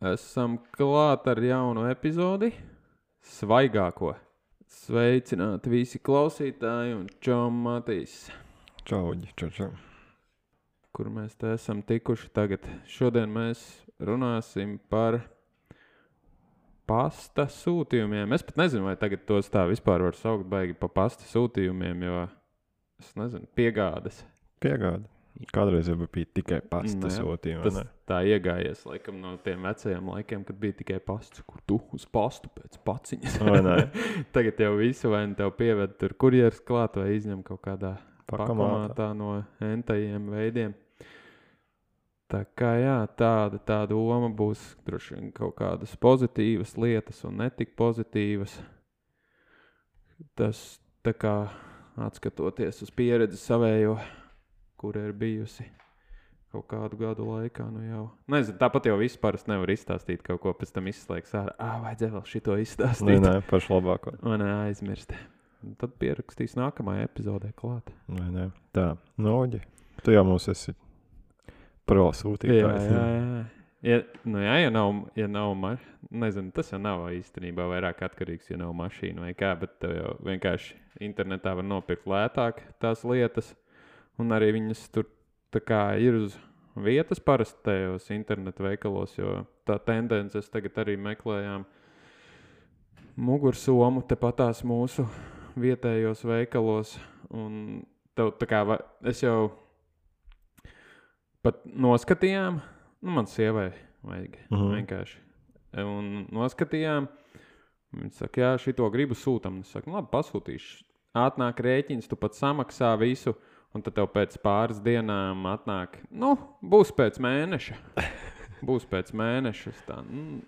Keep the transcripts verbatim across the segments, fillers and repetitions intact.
Esam klāt ar jaunu epizodi, svaigāko. Sveicināti visi klausītāji un čau Matīs. Čauģi, čau, čau. Kur mēs te esam tikuši tagad. Šodien mēs runāsim par pasta sūtījumiem. Es pat nezinu, vai tagad tos tā vispār var saukt baigi pa pasta sūtījumiem, jo es nezinu, piegādes. Piegāda. Kādreiz jau bija tikai pasta Ne, sūtījumi. Tas ne? tā iegājies laikam no tiem vecajiem laikiem, kad bija tikai pasts, kur tu uz pastu pēc paciņas. Vai ne? Tagad jau visu vai nu tev pieved tur kurjeris klāt vai izņem kaut kādā Pakamātā. pakamātā no entajiem veidiem. Tā kā jā, tāda, tā doma būs droši vien kaut kādas pozitīvas lietas un netik pozitīvas. Tas tā kā atskatoties uz pieredzi savējo, kur ir bijusi kaut kādu gadu laikā, nu jau. Nezinu, tāpat jau viss parasti nevar izstāstīt kaut ko, pēc tam izslēgs ārā. Ā, vajadzēja vēl šito izstāstīt. Nē, nē, pašu labāko. Un aizmirst. Un tad pierakstīs nākamajā epizodē klāt. Nē, nē. Tā, Noģi, tu jau mums esi pro Jā, sūtītājs. jā, jā. Ja, nu jā, ja nav, ja nav ma... nezinu, tas jau nav īstenībā vairāk atkarīgs, ja nav mašīna vai kā, bet tev jau vienkārši internetā var nopirkt lētāk tās lietas. Un arī viņas tur tā kā ir uz vietas parasti tajos internetu veikalos, jo tā tendences tagad arī meklējām mugursomu tepatās mūsu vietējos veikalos. Un tev tā kā, va- es jau pat noskatījām, nu man sievai vajag Mhm. vienkārši. Un noskatījām, viņi saka, jā, šito gribu sūtam. Es saku, nu labi, pasūtīšu. Atnāk rēķins, tu pat samaksā visu. Un tad tev pēc pāris dienām atnāk, nu, būs pēc mēneša. Būs pēc mēneša. Tā, nu,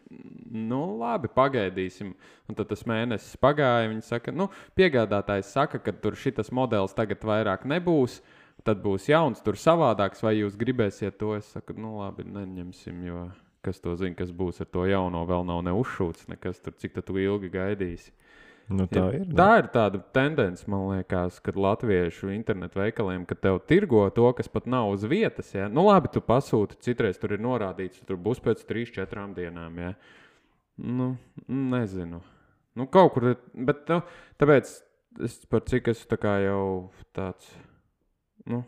nu, labi, pagaidīsim. Un tad tas mēnesis pagāja. Viņi saka, nu, piegādātājs saka, ka tur šitas modelis tagad vairāk nebūs. Tad būs jauns, tur savādāks, vai jūs gribēsiet to? Es saku, nu, labi, neņemsim, jo kas to zina, kas būs ar to jauno, vēl nav neuzšūts, nekas tur, cik tad tu ilgi gaidīsi. Nu, tā Ja, ir. tā ir tāda tendence, man liekas, kad latviešu internetu veikaliem, kad tev tirgo to, kas pat nav uz vietas. Ja? Nu, labi, tu pasūti, citreiz tur ir norādīts, tur būs pēc trīs, četrām dienām. Ja? Nu, nezinu. Nu, kaut kur, bet nu, tāpēc es par cik esmu tā kā jau tāds, nu,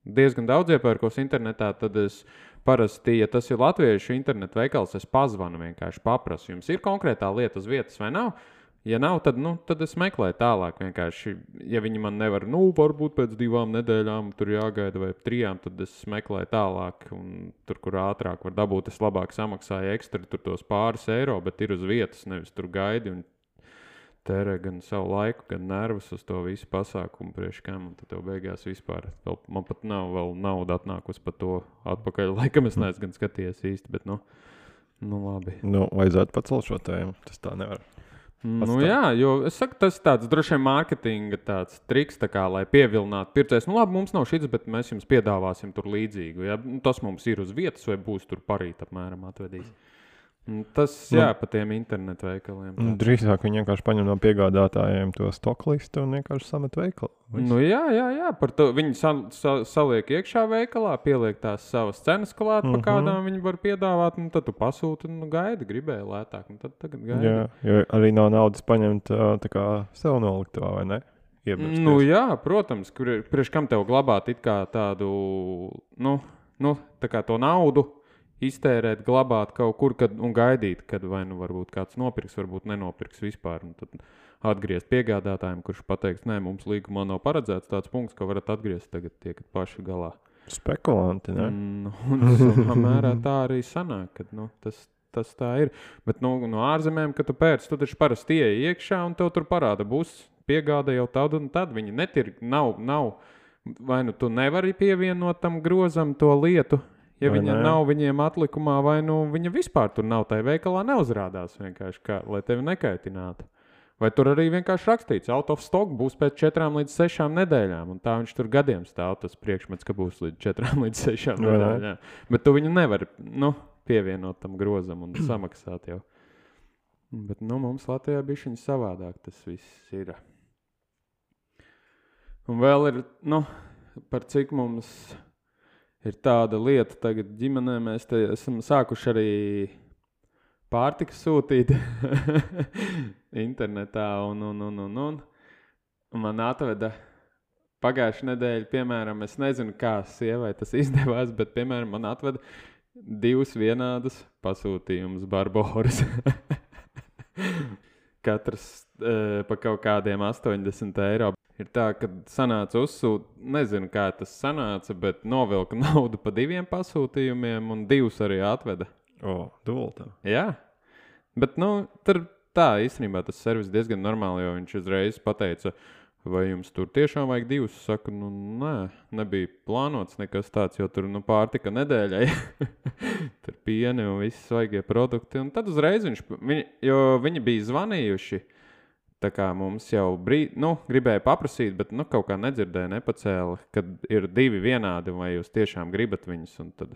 diezgan daudz iepērkos internetā, tad es parasti, ja tas ir latviešu internetu veikals, es pazvanu vienkārši paprasu. Jums ir konkrētā lieta uz vietas vai nav? Ja nav, tad, nu, tad es meklēju tālāk vienkārši. Ja viņi man nevar, nu, varbūt pēc divām nedēļām tur jāgaida vai trijām, tad es meklēju tālāk. Un tur, kur ātrāk var dabūt, es labāk samaksāju ekstra tur tos pāris eiro, bet ir uz vietas, nevis tur gaidi un tērē gan savu laiku, gan nervus uz to visu pasākumu priekš kam. Un tad tev beigās vispār, vēl, man pat nav vēl nauda atnākus par to atpakaļ. Laikam es neesmu gan skatījies īsti, bet, nu, nu labi. Nu, vajadzētu pacelt šo tēmu. Tas tā nevar. Nu Pastāv. jā, jo es saku, tas tāds droši vien mārketinga tāds triks, tā kā, lai pievilinātu pircējus. Nu labi, mums nav šits, bet mēs jums piedāvāsim tur līdzīgu. Ja? Nu, tas mums ir uz vietas vai būs tur parīt apmēram atvedīs. Un tas, jā, Nu. pa tiem internetu veikaliem. Nu, tāds. drīzāk viņi vienkārši paņem no piegādātājiem to stoklistu un vienkārši samet veikalu. Viss. Nu jā, jā, jā, par to viņi sal, sal, saliek iekšā veikalā, pieliek tās savas cenas klāt, Mhm. pa kādām viņi var piedāvāt, un tad tu pasūti, un nu, gaidi, gribēji lētāk, un tad tagad gaidi. Jā, jo arī nav naudas paņemt ā, tā kā sev noliktavā, vai ne? Iebrauksties. Nu jā, protams, kur ir, priekš kam tev glabāt it kā tādu, nu, nu, tā kā to naudu iztērēt, glabāt kaut kur kad, un gaidīt, kad vai nu varbūt kāds nopirks, varbūt nenopirks vispār. Un tad atgriezt piegādātājiem, kurš pateiks, nē, mums līgumā nav paredzēts tāds punkts, ko varat atgriezt tagad tiekat paši galā. Spekulanti, ne? Mm, un savā mērā tā arī sanāk, kad nu, tas, tas tā ir. Bet nu, no ārzemēm, kad tu pērci, tu taču parasti ieej iekšā un tev tur parāda būs piegāda jau tad un tad. Viņi netir, nav, nav, vai nu tu nevari pievienot tam grozam to lietu, ja Vai viņa ne? nav viņiem atlikumā, vai nu viņa vispār tur nav, tai veikalā neuzrādās vienkārši, kā, lai tevi nekaitinātu. Vai tur arī vienkārši rakstīts, out of stock būs pēc četrām līdz sešām nedēļām, un tā viņš tur gadiem stāv tas priekšmets, ka būs līdz četrām līdz sešām Vai ne? nedēļām. Bet tu viņu nevari, nu, pievienot tam grozam un samaksāt jau. Bet, nu, mums Latvijā bišķiņ savādāk tas viss ir. Un vēl ir, nu, par cik mums ir tāda lieta tagad ģimenē, mēs te esam sākuši arī pārtika sūtīt internetā un, un, un, un, un. un man atveda pagājušā nedēļa, piemēram, es nezinu, kā sievai tas izdevās, bet, piemēram, man atveda divus vienādus pasūtījumus Barboras. Katrs e, pa kaut kādiem astoņdesmit eiro. Ir tā, ka sanāca uzsūt, nezinu, kā tas sanāca, bet novilka naudu pa diviem pasūtījumiem un divus arī atveda. O, dultā. Jā, bet, nu, tur tā īstenībā tas servis diezgan normāli, jo viņš uzreiz pateica, vai jums tur tiešām vajag divus? Saku, nu, nē, nebija plānots nekas tāds, jo tur, nu, pārtika nedēļai. Tur pieni un visi svaigie produkti. Un tad uzreiz viņš, viņi, jo viņi bija zvanījuši, tā kā mums jau brīd, nu, gribēja paprasīt, bet, nu, kaut kā nedzirdēja, nepacēla, kad ir divi vienādi, vai jūs tiešām gribat viņus, un tad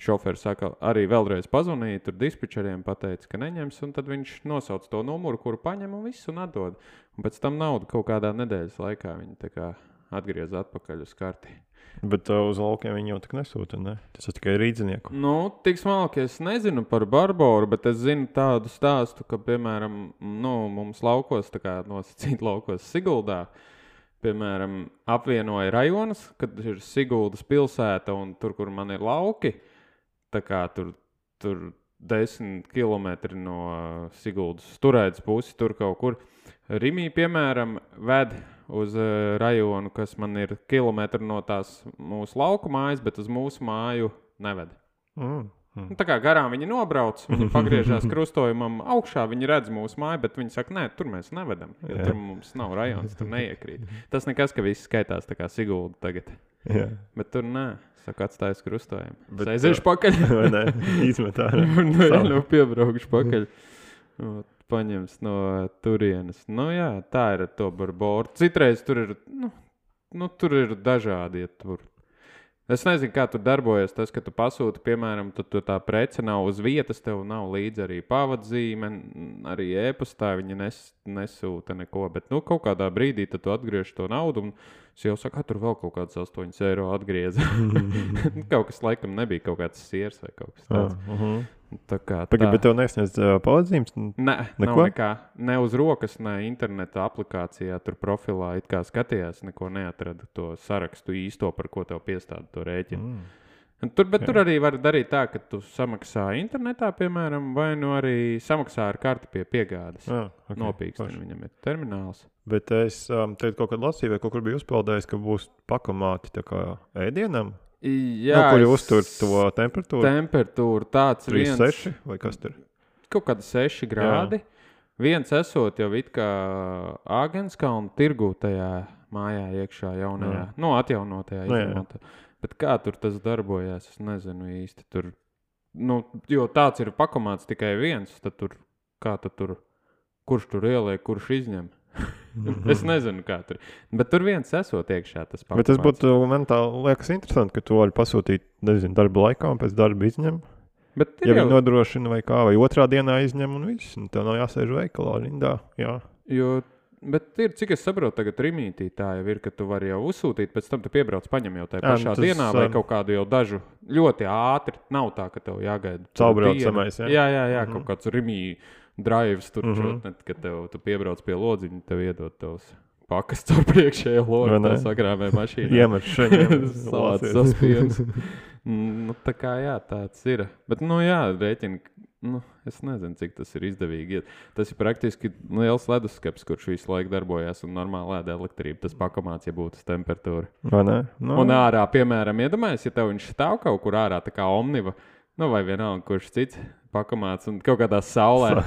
šoferis saka, arī vēlreiz pazvanīja, tur dispečeriem pateica, ka neņems, un tad viņš nosauc to numuru, kuru paņem un visu un atdod. Un pēc tam naudu kaut kādā nedēļas laikā viņi tā kā atgriez atpakaļ uz karti. Bet uh, uz laukiem viņi jau tak nesūta, ne? Tas ir tikai rīdzinieku. Nu, tik smalki es nezinu par Barboru, bet es zinu tādu stāstu, ka, piemēram, nu, mums laukos, tā kā nosacīt laukos Siguldā, piemēram, apvienoja rajonus, kad ir Siguldas pilsēta un tur, kur man ir lauki, tā kā tur, tur desmit kilometri no Siguldas turētas pusi, tur kaut kur. Rimī, piemēram, ved uz uh, rajonu, kas man ir kilometri no tās mūsu lauku mājas, bet uz mūsu māju neved. Mm, mm. Nu, tā kā garām viņi nobrauc, viņi pagriežās krustojumam augšā, viņi redz mūsu māju, bet viņi saka, nē, tur mēs nevedam, jo Jā. tur mums nav rajons, tur neiekrīt. Tas nekas, ka viss skaitās tā kā Sigulda tagad. Jā. Bet tur nē, saka, atstājas krustojumu. Bet, Es aiziešu pakaļ. Vai ne? Izmetā. Un nu, nu, piebraukšu pakaļ. Paņems no turienes. Nu jā, tā ir ar to Barboru. Citreiz tur ir, nu, nu tur ir dažādi, ja tur. Es nezinu, kā tur darbojas tas, ka tu pasūti, piemēram, tu, tu tā prece nav uz vietas, tev nav līdzi arī pavadzīme, arī e-pastā viņi nes, nesūta neko, bet, nu, kaut kādā brīdī tad tu atgriež to naudu un es jau saku, tur vēl kaut kāds astoņus eiro atgrieza. Kaut kas laikam nebija kaut kāds siers vai kaut kas tāds. Uh -huh. Tā kā Pagad, tā. bet tev nesniedz uh, pavadzīmes? Nē, nav Neko? nekā. Ne uz rokas, ne interneta aplikācijā, tur profilā it kā skatījās, neko neatrada to sarakstu īsto, par ko tev piestāda to rēķinu. Mm. Un Tur, bet Jā. tur arī var darīt tā, ka tu samaksā internetā, piemēram, vai nu arī samaksā ar karti pie piegādes. Ah, okay. Nopīksteni, Forši. viņam ir termināls. Bet es um, teicu kaut kad lasīju, vai kaut kur biju uzpeldējis, ka būs pakomāti tā kā ēdienam, Jā, nu, kuri es- uztur to temperatūru. temperatūru tāds trīs viens. seši vai kas tur? Kaut kādi seši grādi. Viens esot jau it kā Āgenskalna tirgū tajā mājā iekšā jaunajā, Jā. nu atjaunotajā Nu, jā. izmantā. Bet kā tur tas darbojās, es nezinu īsti tur. Nu, jo tāds ir pakomāts tikai viens, tad tur, kā tad tur, kurš tur ieliek, kurš izņem. Es nezinu, kā tur. Bet tur viens esot iekšā tas pakomāts. Bet tas būtu, man tā liekas interesanti, ka tu vari pasūtīt, nezinu, darba laikā un pēc darba izņem. Bet ir Ja jau, viņi nodrošina vai kā, vai otrā dienā izņem un viss, un tev nav jāsēž veikalā rindā. Jā. jo, bet ir, cik es saprotu, tagad Rimītī tā jau ir, ka tu vari jau uzsūtīt, pēc tam tu piebrauc paņem jau tajā Jā, pašā nu tas, dienā vai ā, kaut kādu jau dažu ļoti ātri. Nav tā, ka tev jāgaida. tur Caurbraucamais, dienu. jā? Jā, jā, jā, Mhm. kaut kāds Rimī drives tur, Mhm. čotnet, kad tev, tu piebrauc pie lodziņa, tev iedod tavs pakas caur priekšējo Vai logu, ne? tev sakrāmē mašīnā. Iemet šeit. Salāts saspiems. Nu, tā kā jā, tāds ir. Bet, nu jā, rēķini, nu, es nezinu, cik tas ir izdevīgi. Tas ir praktiski liels leduskapis, kurš visu laiku darbojās un normāli ēda elektrību. Tas pakomāts, ja būtu uz temperatūru. Vai ne? Nu, Un ārā, piemēram, iedomājies, ja tev viņš stāv kaut kur ārā, tā kā omniva, nu vai vienalga, kurš cits pakomāts un kaut kādā saulē.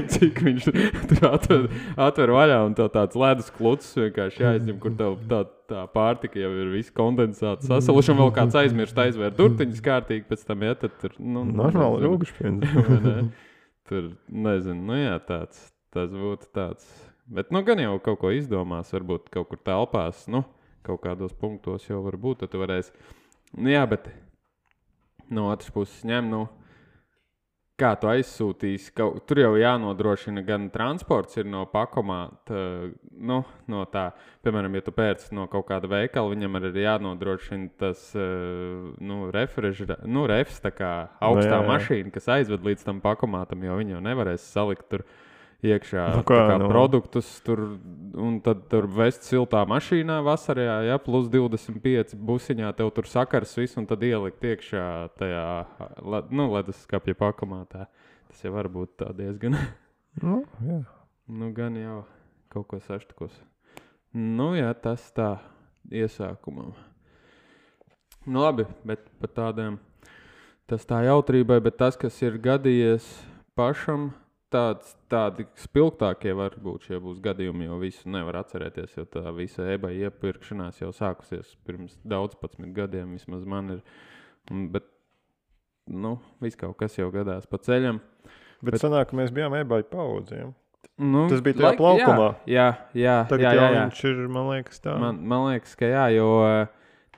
Cik viņš tur atver, atver vaļā un tev tāds ledus klucis vienkārši jāizņem, kur tev tā, tā pārtika jau ir viss kondensāts sasaluši un vēl kāds aizmirst aizvērt durtiņas kārtīgi, pēc tam iet, tad tur, nu, normāli nezinu. rūgušpiens. Vai ne? Tur, nezinu, nu jā, tāds, tas būtu tāds. Bet, nu, gan jau kaut ko izdomās, varbūt kaut kur telpās, nu, kaut kādos punktos jau var būt, tad tu varēsi. Nu jā, bet no otras puses ņem, nu, kā tu aizsūtīsi, ka tur jau jānodrošina gan transports ir no pakomāta, nu, no tā, piemēram, ja tu pērci no kaut kāda veikala, viņam arī ir jānodrošina tas, nu, refrežera, nu, refs, tā kā augstā no, jā, jā. mašīna, kas aizved līdz tam pakomātam, jo viņi jau nevarēs salikt tur iekšā nu, kā, kā nu. produktus, tur, un tad tur vest siltā mašīnā vasarā, ja, plus divdesmit pieci busiņā, tev tur sakars viss, un tad ielikt iekšā tajā, nu, leduskapja pakomātā. Tas jau var būt tā diezgan. Nu, jā. Nu, gan jau kaut ko saštukos. Nu, jā, tas tā iesākumam. Nu, labi, bet par tādiem, tas tā jautrībai, bet tas, kas ir gadījies pašam, Tāds, tādi spilgtākie var būt šie būs gadījumi, jo visu nevar atcerēties, jo tā visa eBay iepirkšanās jau sākusies pirms daudz padsmit gadiem, vismaz man ir, bet, nu, viss kaut kas jau gadās pa ceļam. Bet, bet sanāk, ka mēs bijām eBay paudzēm. Nu, Tas bija tajā laik, plaukumā. Jā, jā, Tagad jā, jā, jā. Viņš ir, man liekas, tā. Man, man liekas, ka jā, jo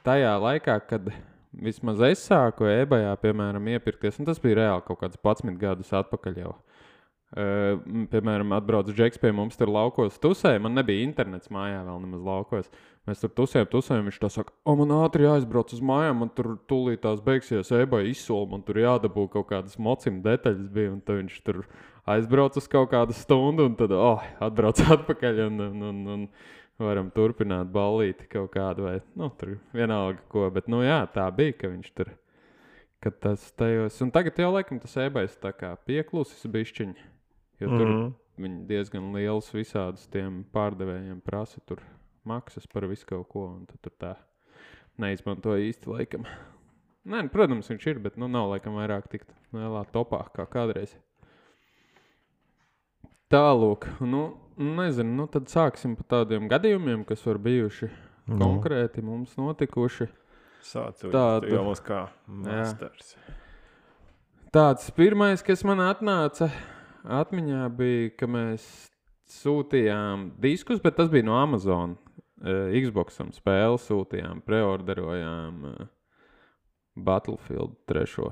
tajā laikā, kad vismaz es sāku eBayā, piemēram, iepirkties, un tas bija reāli kaut kāds padsmit gadus atpakaļ jau. Uh, piemēram, atbrauc Džeks pie mums tur laukos tusē, man nebija internets mājā vēl nemaz laukos. Mēs tur tusējam, tusējam, viņš tā saka, o, man ātri jāizbrauc uz mājām, man tur tūlīt tās beigsies eBay izsoli, man tur jādabū kaut kādas mocim detaļas bija, un tad viņš tur aizbrauc uz kaut kādu stundu, un tad, oh, atbrauc atpakaļ, un, un, un, un varam turpināt ballīti kaut kādu, vai, nu, tur vienalga ko, bet, nu, jā, tā bija, ka viņš tur, ka tas tajos, un tagad jau, laikam, tas eBay tā kā pieklusis bišķiņi. Jo tur mm-hmm. viņi diezgan liels visādus tiem pārdevējiem prasa tur maksas par visu kaut ko, un tad tur tā neizmanto īsti laikam. Nē, protams, viņš ir, bet nu nav laikam vairāk tikt lielā topā kā kādreiz. Tālūk, nu, nezinu, nu tad sāksim par tādiem gadījumiem, kas var bijuši no. konkrēti mums notikuši. Sācu, Tādu, jau mums kā masters. Jā. Tāds pirmais, kas man atnāca atmiņā bija, ka mēs sūtījām diskus, bet tas bija no Amazon. Uh, Xboxam spēli sūtījām, preorderojām uh, Battlefield trešo.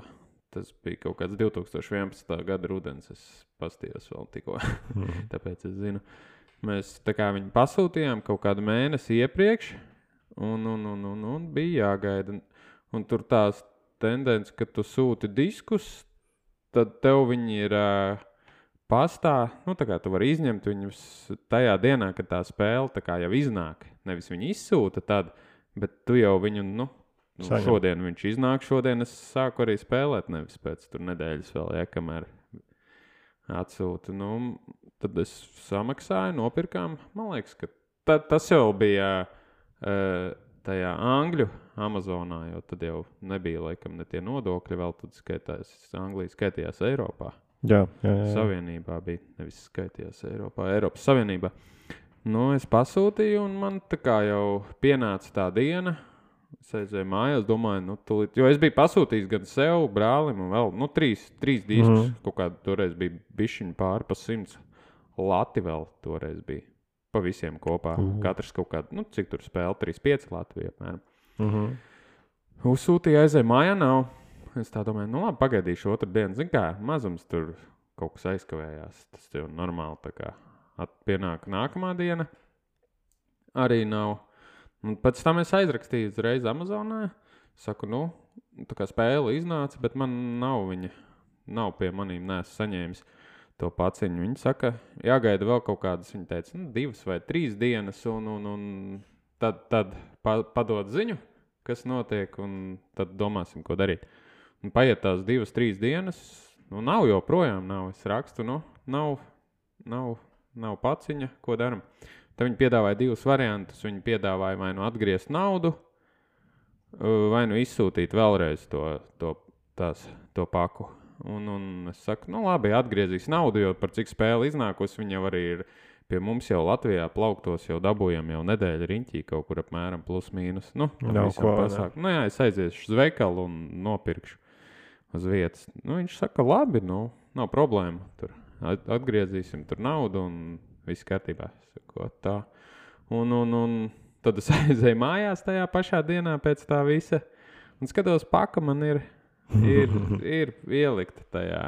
Tas bija kaut kāds divi tūkstoši vienpadsmitā gada rudens, es pastījos vēl tikko, mm. tāpēc es zinu. Mēs tā kā viņu pasūtījām kaut kādu mēnesi iepriekš, un, un, un, un, un bija jāgaida. Un, un tur tās tendence, ka tu sūti diskus, tad tev viņi ir... Uh, pastā, nu tā kā tu vari izņemt viņus tajā dienā, kad tā spēle tā kā jau iznāk. Nevis viņi izsūta tad, bet tu jau viņu, nu, nu šodien viņš iznāk, šodien es sāku arī spēlēt, nevis pēc tur nedēļas vēl, ja, kamēr atsūta. Nu, tad es samaksāju, nopirkām, man liekas, ka tad, tas jau bija uh, tajā Angļu Amazonā, jo tad jau nebija, laikam, ne tie nodokļi vēl, tad skaitās, Anglija skaitījās Eiropā. Jā, jā, jā. Savienībā bija, nevis skaitījās Eiropā, Eiropas Savienībā. Nu, es pasūtīju, un man tā kā jau pienāca tā diena. Es aizēju mājās, domāju, nu, tūlīt, jo es biju pasūtījis gan sev, brālim, un vēl, nu, trīs, trīs diskus. Mm. Kaut kādā toreiz bija bišķiņi pāri pa simts. Lati vēl toreiz bija. Pa visiem kopā. Mm. Katrs kaut kādu, nu, cik tur spēle, trīs pieci Latvija, apmēram. Mm-hmm. Uzsūtīju, aizēju mājā, nav. Es tā domāju, nu labi, pagaidīšu otru dienu. Zin kā, mazums tur kaut kas aizkavējās. Tas jau normāli tā kā pienāk nākamā diena. Arī nav. Un pēc tam es aizrakstīju uzreiz Amazonā. Saku, nu, tā kā spēle iznāca, bet man nav viņa. Nav pie manīm, neesmu saņēmis to paciņu. Viņa saka, jāgaida vēl kaut kādas, viņa teica, nu, divas vai trīs dienas, un, un, un tad, tad pa, padod ziņu, kas notiek, un tad domāsim, ko darīt. Un paiet tās divas, trīs dienas, nu nav joprojām, nav. Es rakstu, nu, nav, nav, nav paciņa, ko daram. Tad viņi piedāvāja divus variantus. Viņi piedāvāja vai nu atgriezt naudu, vai nu izsūtīt vēlreiz to, to, tās, to paku. Un, un es saku, nu labi, atgriezīs naudu, jo par cik spēle iznākusi, viņi jau arī ir pie mums jau Latvijā plauktos, jau dabūjam jau nedēļa riņķī kaut kur apmēram plus mīnus. Nu, nav ko, nu jā, es aiziešu uz veikalu un nopirkšu uz vietas. Nu, viņš saka, labi, nu, nav problēma. Tur atgriezīsim tur naudu un viss kārtībā. Saku, tā. Un, un, un tad es aizēju mājās tajā pašā dienā pēc tā visa. Un skatos, paka man ir, ir, ir ielikta tajā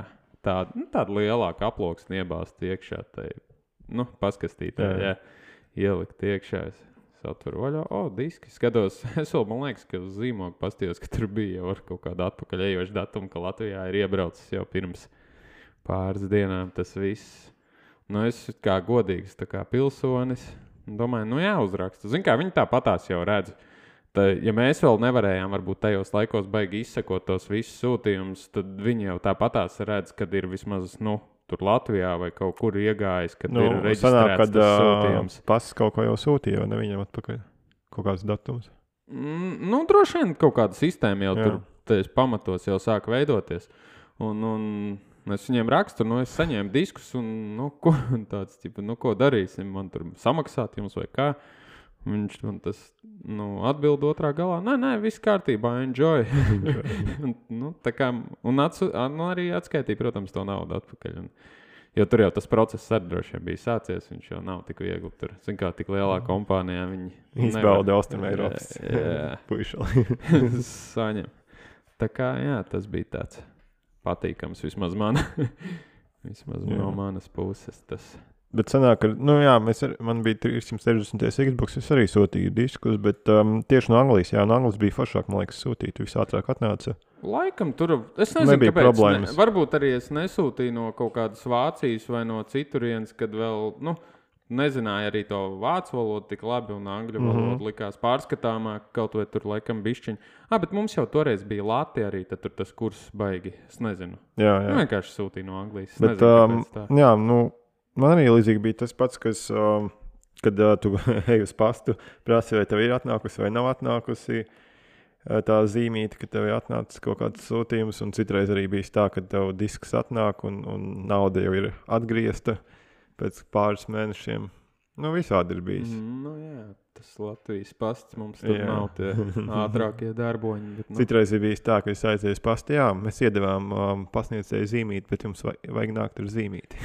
tādu, nu, tādu lielāku aploksni iebāzt iekšā. Tai, nu, paskastītā, jā. jā, ielikt iekšā. Es satveru vaļā, o, diski. Skatos, es vēl, man liekas, ka uz zīmogu pastījos, ka tur bija jau ar kaut kādu atpakaļ ejošu datumu, ka Latvijā ir iebraucis jau pirms pāris dienām tas viss. Nu, es kā godīgs, tā kā pilsonis, domāju, nu jāuzraksta. Zin kā, viņi tāpatās jau redz. Tā, ja mēs vēl nevarējām varbūt tajos laikos baigi izsekot tos visus sūtījumus, tad viņi jau tāpatās redz, kad ir vismaz, nu, tur Latvijā vai kaut kur iegājis, kad nu, ir reģistrēts sanāk, tas sūtījums. Pasis kaut ko jau sūtīja, vai ne viņam atpakaļ? Kaut kāds datums? Mm, nu, droši vien kaut kāda sistēma jau Jā. tur tais pamatos jau sāk veidoties. Un, un es viņiem rakstu, nu, es saņēmu diskus un, nu, ko, tāds, tipa, nu, ko darīsim, man tur samaksāt jums vai kā. Viņš man tas, nu, atbild otrā galā. Nē, nē, viss kārtībā, enjoy. nu, tā kā, un atsu, nu, arī atskaitīja, protams, to naudu atpakaļ. Un, jo tur jau tas process arī droši vien bija sācies, viņš jau nav tik viegli tur. Zin kā, tik lielā kompānijā viņi... Izbauda Austrum Eiropas puišali. Saņem. Tā kā, jā, tas bija tāds patīkams vismaz man. vismaz jā. No manas puses tas... Bet sanāk, ka, nu jā, mēs ar, man bija trīssimt sešdesmit Xbox, es arī sūtīju diskus, bet um, tieši no Anglijas, jā, no Anglijas bija foršāk, man liekas, sūtīt, viss ātrāk atnāca. Laikam tur, es nezinu, Nebija kāpēc, problēmas. ne, varbūt arī es nesūtīju no kaut kādas Vācijas vai no citurienes, kad vēl, nu, nezināju arī to vācu valodu tik labi un angļu valodu mm-hmm. likās pārskatāmāk, kaut vai tur laikam bišķiņ. Ah, bet mums jau toreiz bija Lati arī, tad tur tas kurs baigi, es nezinu. Jā, jā. Nu, vienkārši sūtīju no Anglijas, es bet, nezinu, kāpēc tā. Um, jā, nu, man arī līdzīgi bija tas pats, kas, um, kad uh, tu ej uz pastu, prasi, vai tev ir atnākusi vai nav atnākusi uh, tā zīmīte, ka tev ir atnācis kaut kāds sūtījums, un citreiz arī bija tā, ka tev disks atnāk un, un nauda jau ir atgriezta pēc pāris mēnešiem. Nu, visādi ir bijis. Mm, nu jā, tas Latvijas pasts mums tur jā. Nav tie ātrākie darboņi. Bet, nu. Citreiz ir bijis tā, ka es aizies pasti, jā, mēs iedevām um, pasniedzēju zīmīti, bet jums vajag, vajag nākt ar zīmīti.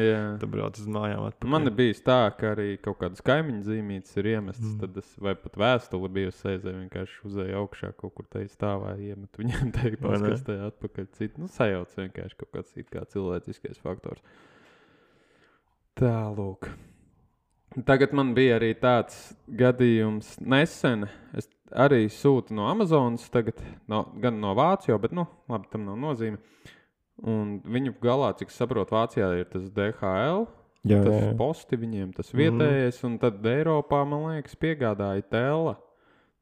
jā. Tad brauc uz mājām atpakaļ. Man ir bijis tā, ka arī kaut kādas kaimiņu zīmītes ir iemestas, mm. tad es, vai pat vēstuli bijusi aizēju, vienkārši uzēju augšā kaut kur te stāvā iemet viņam te paskastē atpakaļ citu. Nu, sajauc vienkārši kaut kāds it kā cilvēciskais faktors. Tā, lūk. Tagad man bija arī tāds gadījums nesen. Es arī sūtu no Amazonas tagad, no, gan no Vācijā, bet, nu, labi, tam nav nozīme. Un viņu galā, cik saprot, Vācijā ir tas D H L, jā, tas jā. Posti viņiem, tas vietējais, mm. un tad Eiropā, man liekas, piegādāja Tela.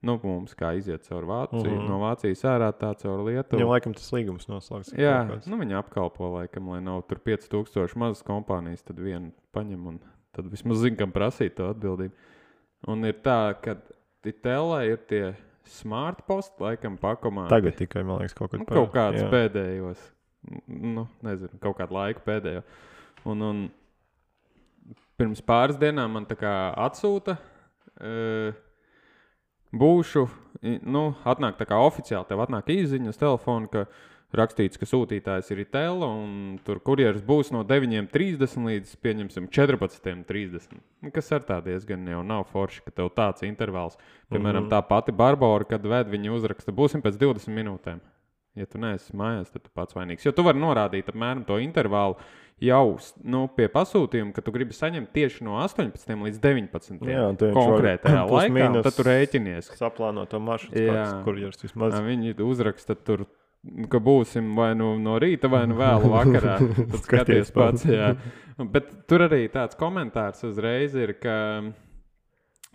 Nu, mums kā iziet caur Vāciju, mm. no Vācijas ārā tā caur Lietuvu. Viņam laikam tas līgums noslēgts. Jā, nu viņi apkalpo laikam, lai nav tur pieci tūkstoši mazas kompānijas, tad vienu paņem un tad vismaz zin, kam prasīt to atbildību. Un ir tā, ka Tela ir tie smart post, laikam pakomāti. Tagad tikai, man liekas, kaut kad nu, kaut kāds jā. Pēdējos, nu, nezinu, kaut kādu laiku pēdējo. Un, un pirms pāris dienām man tā kā atsūta, uh, būšu, nu, atnāk tā kā oficiāli, tev atnāk īziņa uz telefonu, ka rakstīts, ka sūtītājs ir Itela un tur kurjeris būs no deviņi trīsdesmit līdz, pieņemsim, četrpadsmit trīsdesmit. Kas ar tā diezgan jau nav forši, ka tev tāds intervāls. Piemēram, mm-hmm. tā pati Barbora, kad ved viņa uzraksta, būsim pēc divdesmit minūtēm. Ja tu neesi mājās, tad tu pats vainīgs. Jo tu vari norādīt apmēram to intervālu jau nu, pie pasūtījuma, ka tu gribi saņemt tieši no astoņpadsmit līdz deviņpadsmit Jā, konkrētajā laikā, un tad tu rēķinies. Saplāno to maršrutu, kāds kurjeris vismaz. Viņi uzraksta tur, ka būsim vai nu no rīta, vai nu vēlu vakarā. Tad skaties pats, jā. Bet tur arī tāds komentārs uzreiz ir, ka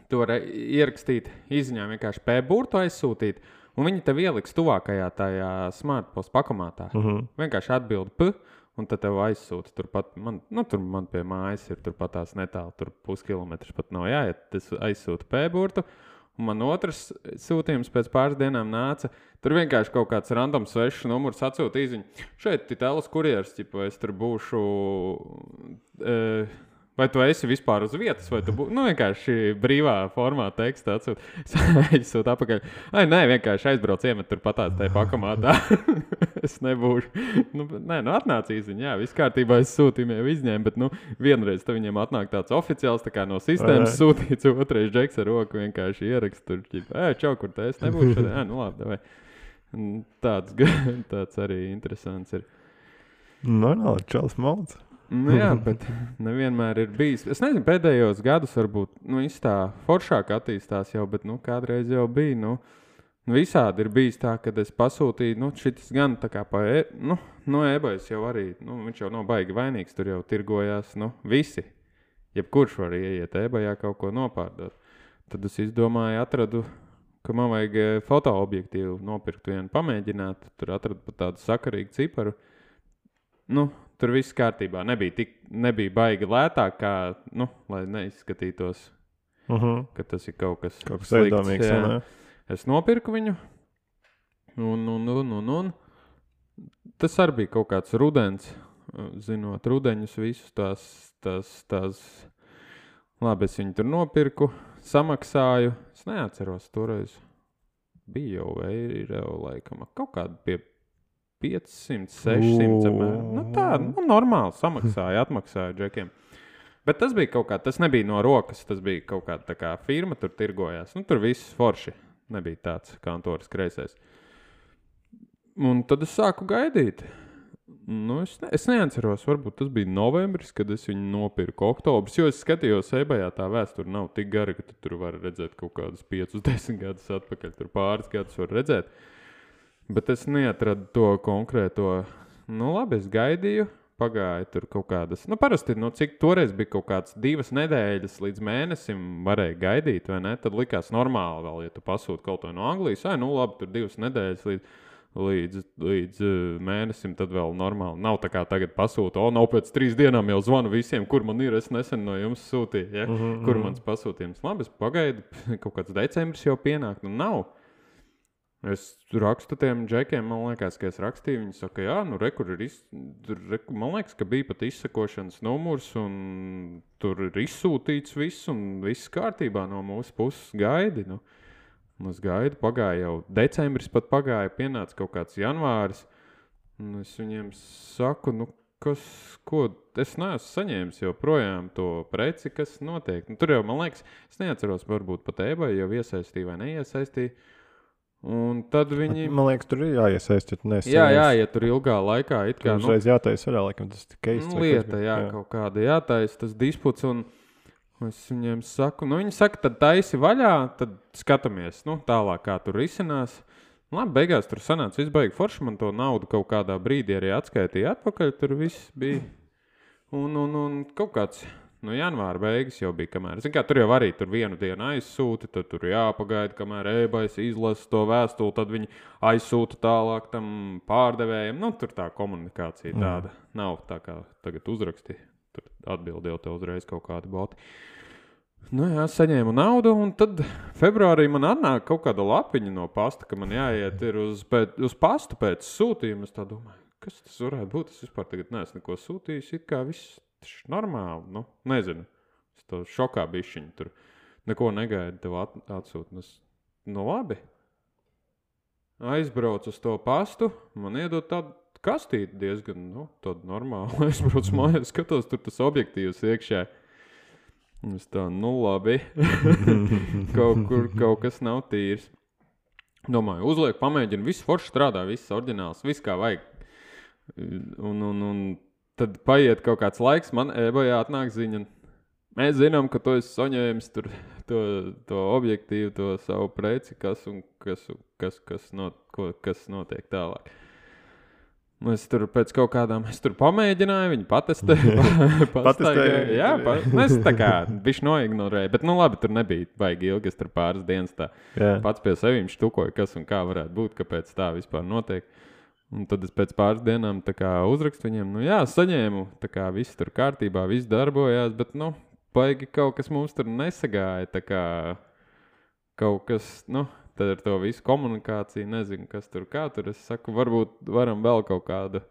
to var ierakstīt izziņā vienkārši P-burtu aizsūtīt, un viņi tev ieliks tuvākajā tajā smartpost pakomātā. Uh-huh. Vienkārši atbildi P, un tad tev aizsūta turpat. Man, nu, tur man pie mājas ir turpat tās netālu, tur puskilometrs pat nav jāiet. Tas aizsūta P-burtu. Un man otrs sūtījums pēc pāris dienām nāca. Tur vienkārši kaut kāds random svešs numurs atsūta īziņu. Šeit Itelas kurjeris, ķipa, es tur būšu... E, vai tu esi vispār uz vietas, vai tu būsi... Nu, vienkārši brīvā formā teksta atsūta. Es sūtu apakaļ. Ai, nē, vienkārši aizbrauc iemet tur patās tajā pakomātā. Es nebūšu. Nu, nē, nu atnāc īziņ, jā, viss kārtībā es sūtījumu jau izņēmu, bet, nu, vienreiz te viņiem atnāk tāds oficiāls, tā kā no sistēmas sūtīts, otrais džeks ar roku vienkārši ierakst tur, ķipa, ē, čau, kur te es nebūšu šodien, ē, nu labi, davai. Tāds, tāds arī interesants ir. Normāli, čels malds. Nu, jā, bet nevienmēr ir bijis. Es nezinu, pēdējos gados varbūt nu, viss tā foršāk attīstās jau, bet nu, kādreiz jau bija. Nu, nu, visādi ir bijis tā, kad es pasūtīju, nu, šis gan tā kā pa e, nu, no eBay's jau arī, nu, viņš jau nav baigi vainīgs, tur jau tirgojās, nu, visi. Jebkurš var ieiet eBay'ā kaut ko nopārdot. Tad es izdomāju, atradu, ka man vajag fotoobjektīvu nopirkt vienu pamēģināt, tur atradu pat tādu sakarīgu ciparu. Nu, tur viss kārtībā. Nebija, tik, nebija baigi lētāk, kā, nu, lai neizskatītos, uh -huh. ka tas ir kaut kas, kaut kas slikts. iedomīgs. Jā. Es nopirku viņu, un, un, un, un, un tas arī bija kaut kāds rudens, zinot rudeņus visus tās, tās, tās, labi, es viņu tur nopirku, samaksāju, es neatceros toreiz, bija jau eiro laikam, kaut kādu pie piecsimt, sešsimt apmēram. Nu tā, nu normāli samaksāja, atmaksāja džekiem. Bet tas bija kaut kā, tas nebija no rokas, tas bija kaut kāda tā kā firma, tur tirgojās. Nu tur viss forši, nebija tāds kantoras kreisais. Un tad es sāku gaidīt. Nu es, ne, es neatceros, varbūt tas bija novembris, kad es viņu nopirku oktobris, jo es skatījos eBay'ā, tā vēsture nav tik gara, ka tu tur var redzēt kaut kādus piecus, desmit gadus atpakaļ, tur pāris gadus var redzēt. Bet es neatradu to konkrēto. Nu, labi, es gaidīju, pagāja tur kaut kādas. Nu, parasti, nu, cik toreiz bija kaut kādas divas nedēļas līdz mēnesim varēja gaidīt, vai ne? Tad likās normāli vēl, ja tu pasūti kaut ko no Anglijas. Ai, nu, labi, tur divas nedēļas līdz, līdz, līdz uh, mēnesim, tad vēl normāli. Nav tā kā tagad pasūta. O, nav pēc trīs dienām jau zvanu visiem, kur man ir. Es nesen no jums sūtīju, ja? Uh -huh, kur mans pasūtījums. Labi, es pagaidu, kaut kāds decembris jau pienāk. Nu, nav. Es rakstu tiem džekiem, man liekas, ka es rakstīju, viņi saka, jā, nu, re, kur ir, iz... re, man liekas, ka bija pat izsakošanas numurs, un tur ir izsūtīts viss, un viss kārtībā no mūsu puses gaidi, nu. Un es gaidu, pagāja jau decembris pat pagāja, pienāca kaut kāds janvāris, un es viņiem saku, nu, kas, ko, es neesmu saņēmis jau projām to preci, kas notiek. Nu, tur jau, man liekas, es neatceros, varbūt pat eBay jau iesaistīja vai neiesaistīja. Un tad viņi... Man liekas, tur ir jāiesaist, ja tu neesi. Jā, jā, ja tur ilgā laikā it kā... Tur uzreiz jātais varā, laikam tas ir keist. Nu, lieta, jā, jā, kaut kāda jātais, tas disputs, un es viņiem saku, nu viņi saka, tad taisi vaļā, tad skatamies, nu, tālāk, kā tur risinās. Labi, beigās tur sanāca visbaigi forši, man to naudu kaut kādā brīdī arī atskaitīja atpakaļ, tur viss bija. Un, un, un kaut kāds... Nu, janvāra beigas jau bija, kamēr. Zin kā, tur jau arī tur vienu dienu aizsūti, tad tur jāpagaida, kamēr eBay's izlasa to vēstuli, tad viņi aizsūta tālāk tam pārdevējiem. Nu, tur tā komunikācija tāda mm. nav tā kā tagad uzraksti. Tur atbildi jau te uzreiz kaut kādi boti. Nu jā, saņēmu naudu, un tad februārī man atnāk kaut kāda lapiņa no pasta, ka man jāiet ir uz, pēc, uz pastu pēc sūtījuma. Es tā domāju, kas tas varētu būt? Es vispār tagad neesmu neko sūtījis, it kā viss normāli, nu, nezinu. Es to šokā bišķiņu tur neko negaidu tev at, atsūt. Es, nu, labi. Aizbraucu uz to pastu, man iedod tādu kastīti diezgan, nu, tādu normālu. Aizbraucu mājās, skatos, tur tas objektīvs iekšā. Es tā, nu, labi. kaut kur kaut kas nav tīrs. Domāju, uzliek, pamēģinu, viss forši strādā, viss oriģināls, viss kā vajag. Un, un, un tad paiet kaut kāds laiks, man eBay'ā atnāk ziņa. Mēs zinām, ka tu esi saņēmis tur to, to objektīvu, to savu preci, kas un kas, kas, kas, not, ko, kas notiek tālāk. Es tur pēc kaut kādām, es tur pamēģināju, viņi patestēja. Patestēja. Jā, pa, es tā kā bišķi noignorēju, bet nu labi, tur nebija baigi ilgi, es tur pāris dienas tā jā. Pats pie sevīm štukoju, kas un kā varētu būt, kāpēc tā vispār notiek. Un tad es pēc pāris dienām tā kā uzrakstu viņiem, nu jā, saņēmu, tā kā viss tur kārtībā, viss darbojās, bet nu, baigi kaut kas mums tur nesagāja, tā kā kaut kas, nu, tad ar to visu komunikāciju, nezinu, kas tur kā tur, es saku, varbūt varam vēl kaut kādu,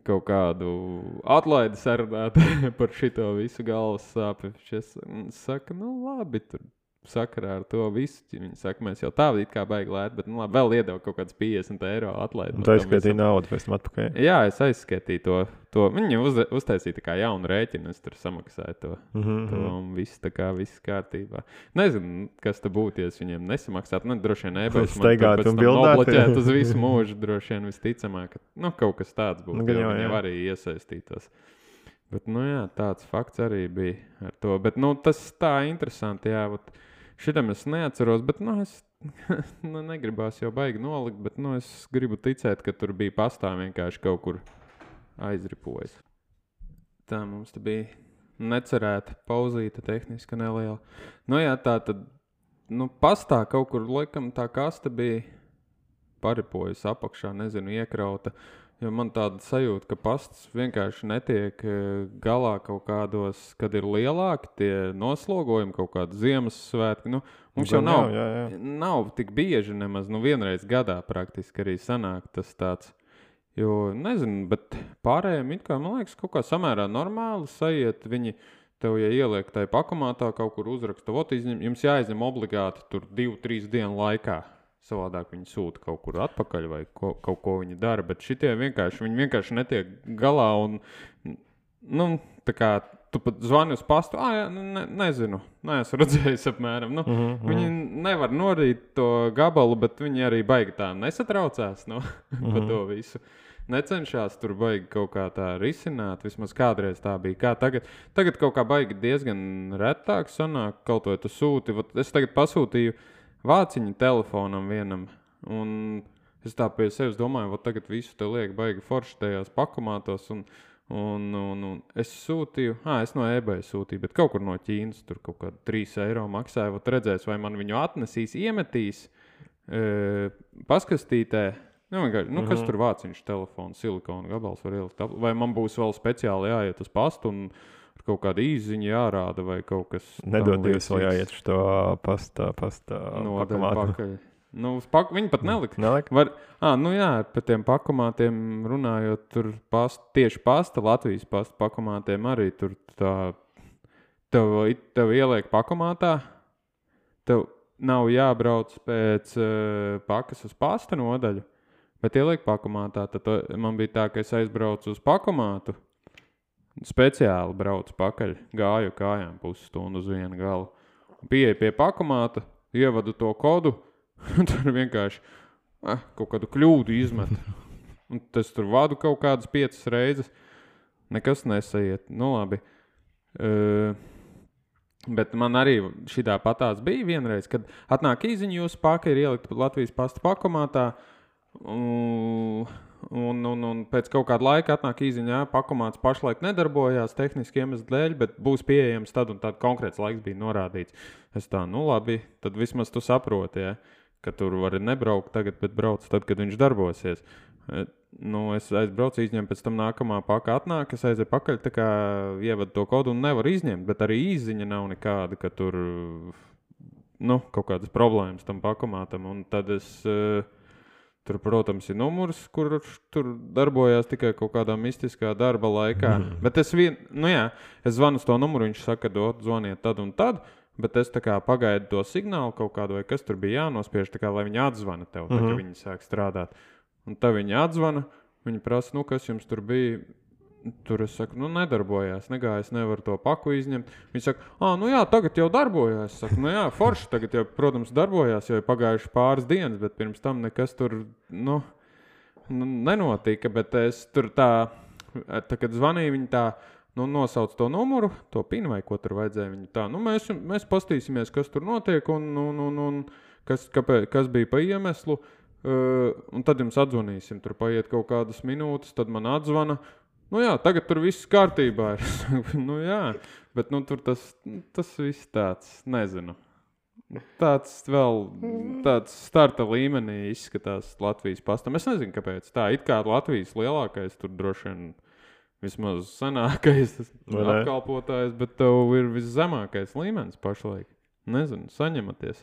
kaut kādu atlaidi sarunāt par šito visu galvas sāpi. Es saku, nu labi, tur sakarā ar to visu. Viņi saka, mēs jau tā it kā baigi lēt, bet nu, labi, vēl iedeva kaut kāds piecdesmit eiro atlaidi. Un tu aizskaitīji naudu pēc tam atpakaļ? Jā, es aizskaitīju to. to. Viņi uz, uztaisīja tā kā jaunu rēķinu, es tur samaksāju to. Mm-hmm. to un viss tā kā viss kārtībā. Nezinu, kas te būtu, ja es viņiem nesamaksātu. Nu, droši vien eBay's man tur pēc tam nobloķēt uz visu mūžu. Droši vien visticamāk, ka nu, kaut kas tāds būtu. Nu, jo viņi arī iesaistītos. Bet, nu jā, tāds fakts arī bija ar to. Bet, nu, tas tā interesanti, jā. Šitam es neatceros, bet, nu, es nu, negribās jau baigi nolikt, bet, nu, es gribu ticēt, ka tur bija pastā vienkārši kaut kur aizripojas. Tā mums te bija necerēta pauzīta tehniska neliela. Nu jā, tā tad, nu, pastā kaut kur, laikam, tā kaste bija paripojas apakšā, nezinu, iekrauta. Jo man tāda sajūta, ka pasts vienkārši netiek galā kaut kādos, kad ir lielāki tie noslogojumi, kaut kādi Ziemassvētki. Nu, mums jau nav, jā, jā, jā. nav tik bieži nemaz, nu vienreiz gadā praktiski arī sanāk tas tāds. Jo, nezinu, bet pārējiem it kā, man liekas, kaut kā samērā normāli sajiet. Viņi tev, ja ieliek tai pakomātā, kaut kur uzraksta, vot izņem, jums jāizņem obligāti tur divu, trīs dienu laikā. Savādāk viņi sūta kaut kur atpakaļ vai ko, kaut ko viņi dara, bet šitie vienkārši, viņi vienkārši netiek galā un, nu, tā kā tu pat zvani uz pastu, ā, jā, ne, nezinu, neesmu redzējis apmēram, nu, mm-hmm. viņi nevar norīt to gabalu, bet viņi arī baigi tā nesatraucās, nu, mm-hmm. pa to visu. Necenšās tur baigi kaut kā tā risināt, vismaz kādreiz tā bija. Kā tagad, tagad kaut kā baigi diezgan retāk sanāk, kaut vai tu sūti, vat es tagad pasūtīju vāciņu telefonam vienam, un es tā pie sevis domāju, vot tagad visu te liek baigi forši tajās pakomātos, un, un, un, un es sūtīju, ā, es no eBay sūtīju, bet kaut kur no Ķīnas, tur kaut kādu trīs eiro maksāja, vot redzēs, vai man viņu atnesīs, iemetīs, e, paskastītē, nu, vienkārši, nu, kas tur vāciņš telefonu, silikona gabals var ielikt, vai man būs vēl speciāli jāiet uz pastu, un kaut kāda īziņa jārāda vai kaut kas... Nedodies vēl jāiet uz to pastā, pastā no, pakomātu. Nu, pak, viņi pat nelika. Nelika? Var, ā, nu jā, par tiem pakomātiem runājot, tur past, tieši pasta, Latvijas pasta pakomātiem arī tur tā... Tev, tev ieliek pakomātā, tev nav jābrauc pēc uh, pakas uz pasta nodaļu, bet ieliek pakomātā. Tad to, man bija tā, ka es aizbraucu uz pakomātu, speciāli braucu pakaļ, gāju kājām pusstundu uz vienu galu. Pieeju pie pakomāta, ievadu to kodu, un tur vienkārši eh, kaut kādu kļūdu izmet. Un tas tur vadu kaut kādas piecas reizes. Nekas nesaiet. Nu labi. Uh, bet man arī šitā patās bija vienreiz, kad atnāk īziņa jūsu paka, ir ielikt Latvijas pasta pakomātā, un... Un, un, un pēc kaut kāda laika atnāk īziņā, pakomāts pašlaik nedarbojās tehniski iemeslu dēļ, bet būs pieejams tad un tad konkrēts laiks bija norādīts. Es tā, nu labi, tad vismaz tu saproti, ja, ka tur vari nebraukt tagad, bet brauc tad, kad viņš darbosies. Nu, es aizbraucu, izņemu, pēc tam nākamā paka atnāk, es aizēju pakaļ, tā kā ievadu to kodu un nevar izņemt, bet arī īziņa nav nekāda, ka tur, nu, kaut kādas problēmas tam pakomātam, un tad es... Tur, protams, ir numurs, kurš tur darbojās tikai kaut kādā mistiskā darba laikā. Mm. Bet es vien, nu jā, es zvanu uz to numuru, viņš saka, dot, zvaniet tad un tad, bet es tā kā pagaidu to signālu kaut kādu, vai kas tur bija jānospiež, tā kā, lai viņi atzvana tev, tā, mm-hmm. ka viņi sāk strādāt. Un tad viņi atzvana, viņi prasa, nu, kas jums tur bija? Tur es saku, nu, nedarbojās, negāju, es nevaru to paku izņemt. Viņi saka, ā, nu jā, tagad jau darbojās. Es saku, nu jā, forši, tagad jau, protams, darbojās, jo ir pagājuši pāris dienas, bet pirms tam nekas tur, nu, nenotika. Bet es tur tā, tā kad zvanīju, viņi tā, nu, nosauc to numuru, to pinu vai ko tur vajadzēja. Viņi tā, nu, mēs, mēs pastīsimies, kas tur notiek un, un, un, un kas, kāpēc, kas bija pa iemeslu. Uh, un tad jums atzvanīsim, tur paiet kaut kādas minūtes, tad man atzvana. Nu jā, tagad tur viss kārtībā ir. Nu jā, bet nu tur tas, tas viss tāds, nezinu. Tāds vēl, tāds starta līmenī izskatās Latvijas pastam. Es nezinu, kāpēc tā. It kā Latvijas lielākais, tur droši vien vismaz senākais apkalpotājs, bet tev ir viszemākais līmenis pašlaik. Nezinu, saņematies.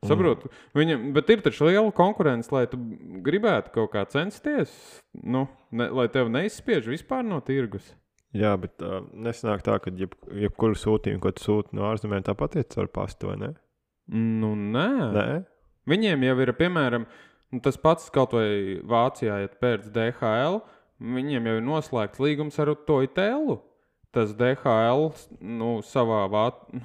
Saprotu, viņam, bet ir taču liela konkurence, lai tu gribētu kaut kā censties, nu, ne, lai tev neizspiež vispār no tirgus. Jā, bet uh, nesanāk tā, ka jeb, jebkuru sūtījumu, ko tu sūti no ārzemēm, tāpat iet caur pastu, vai ne? Nu, nē. Nē? Viņiem jau ir, piemēram, nu, tas pats kaut vai Vācijā, ja pēc D H L, viņiem jau ir noslēgts līgums ar to Itelu. Tas D H L nu, savā vā,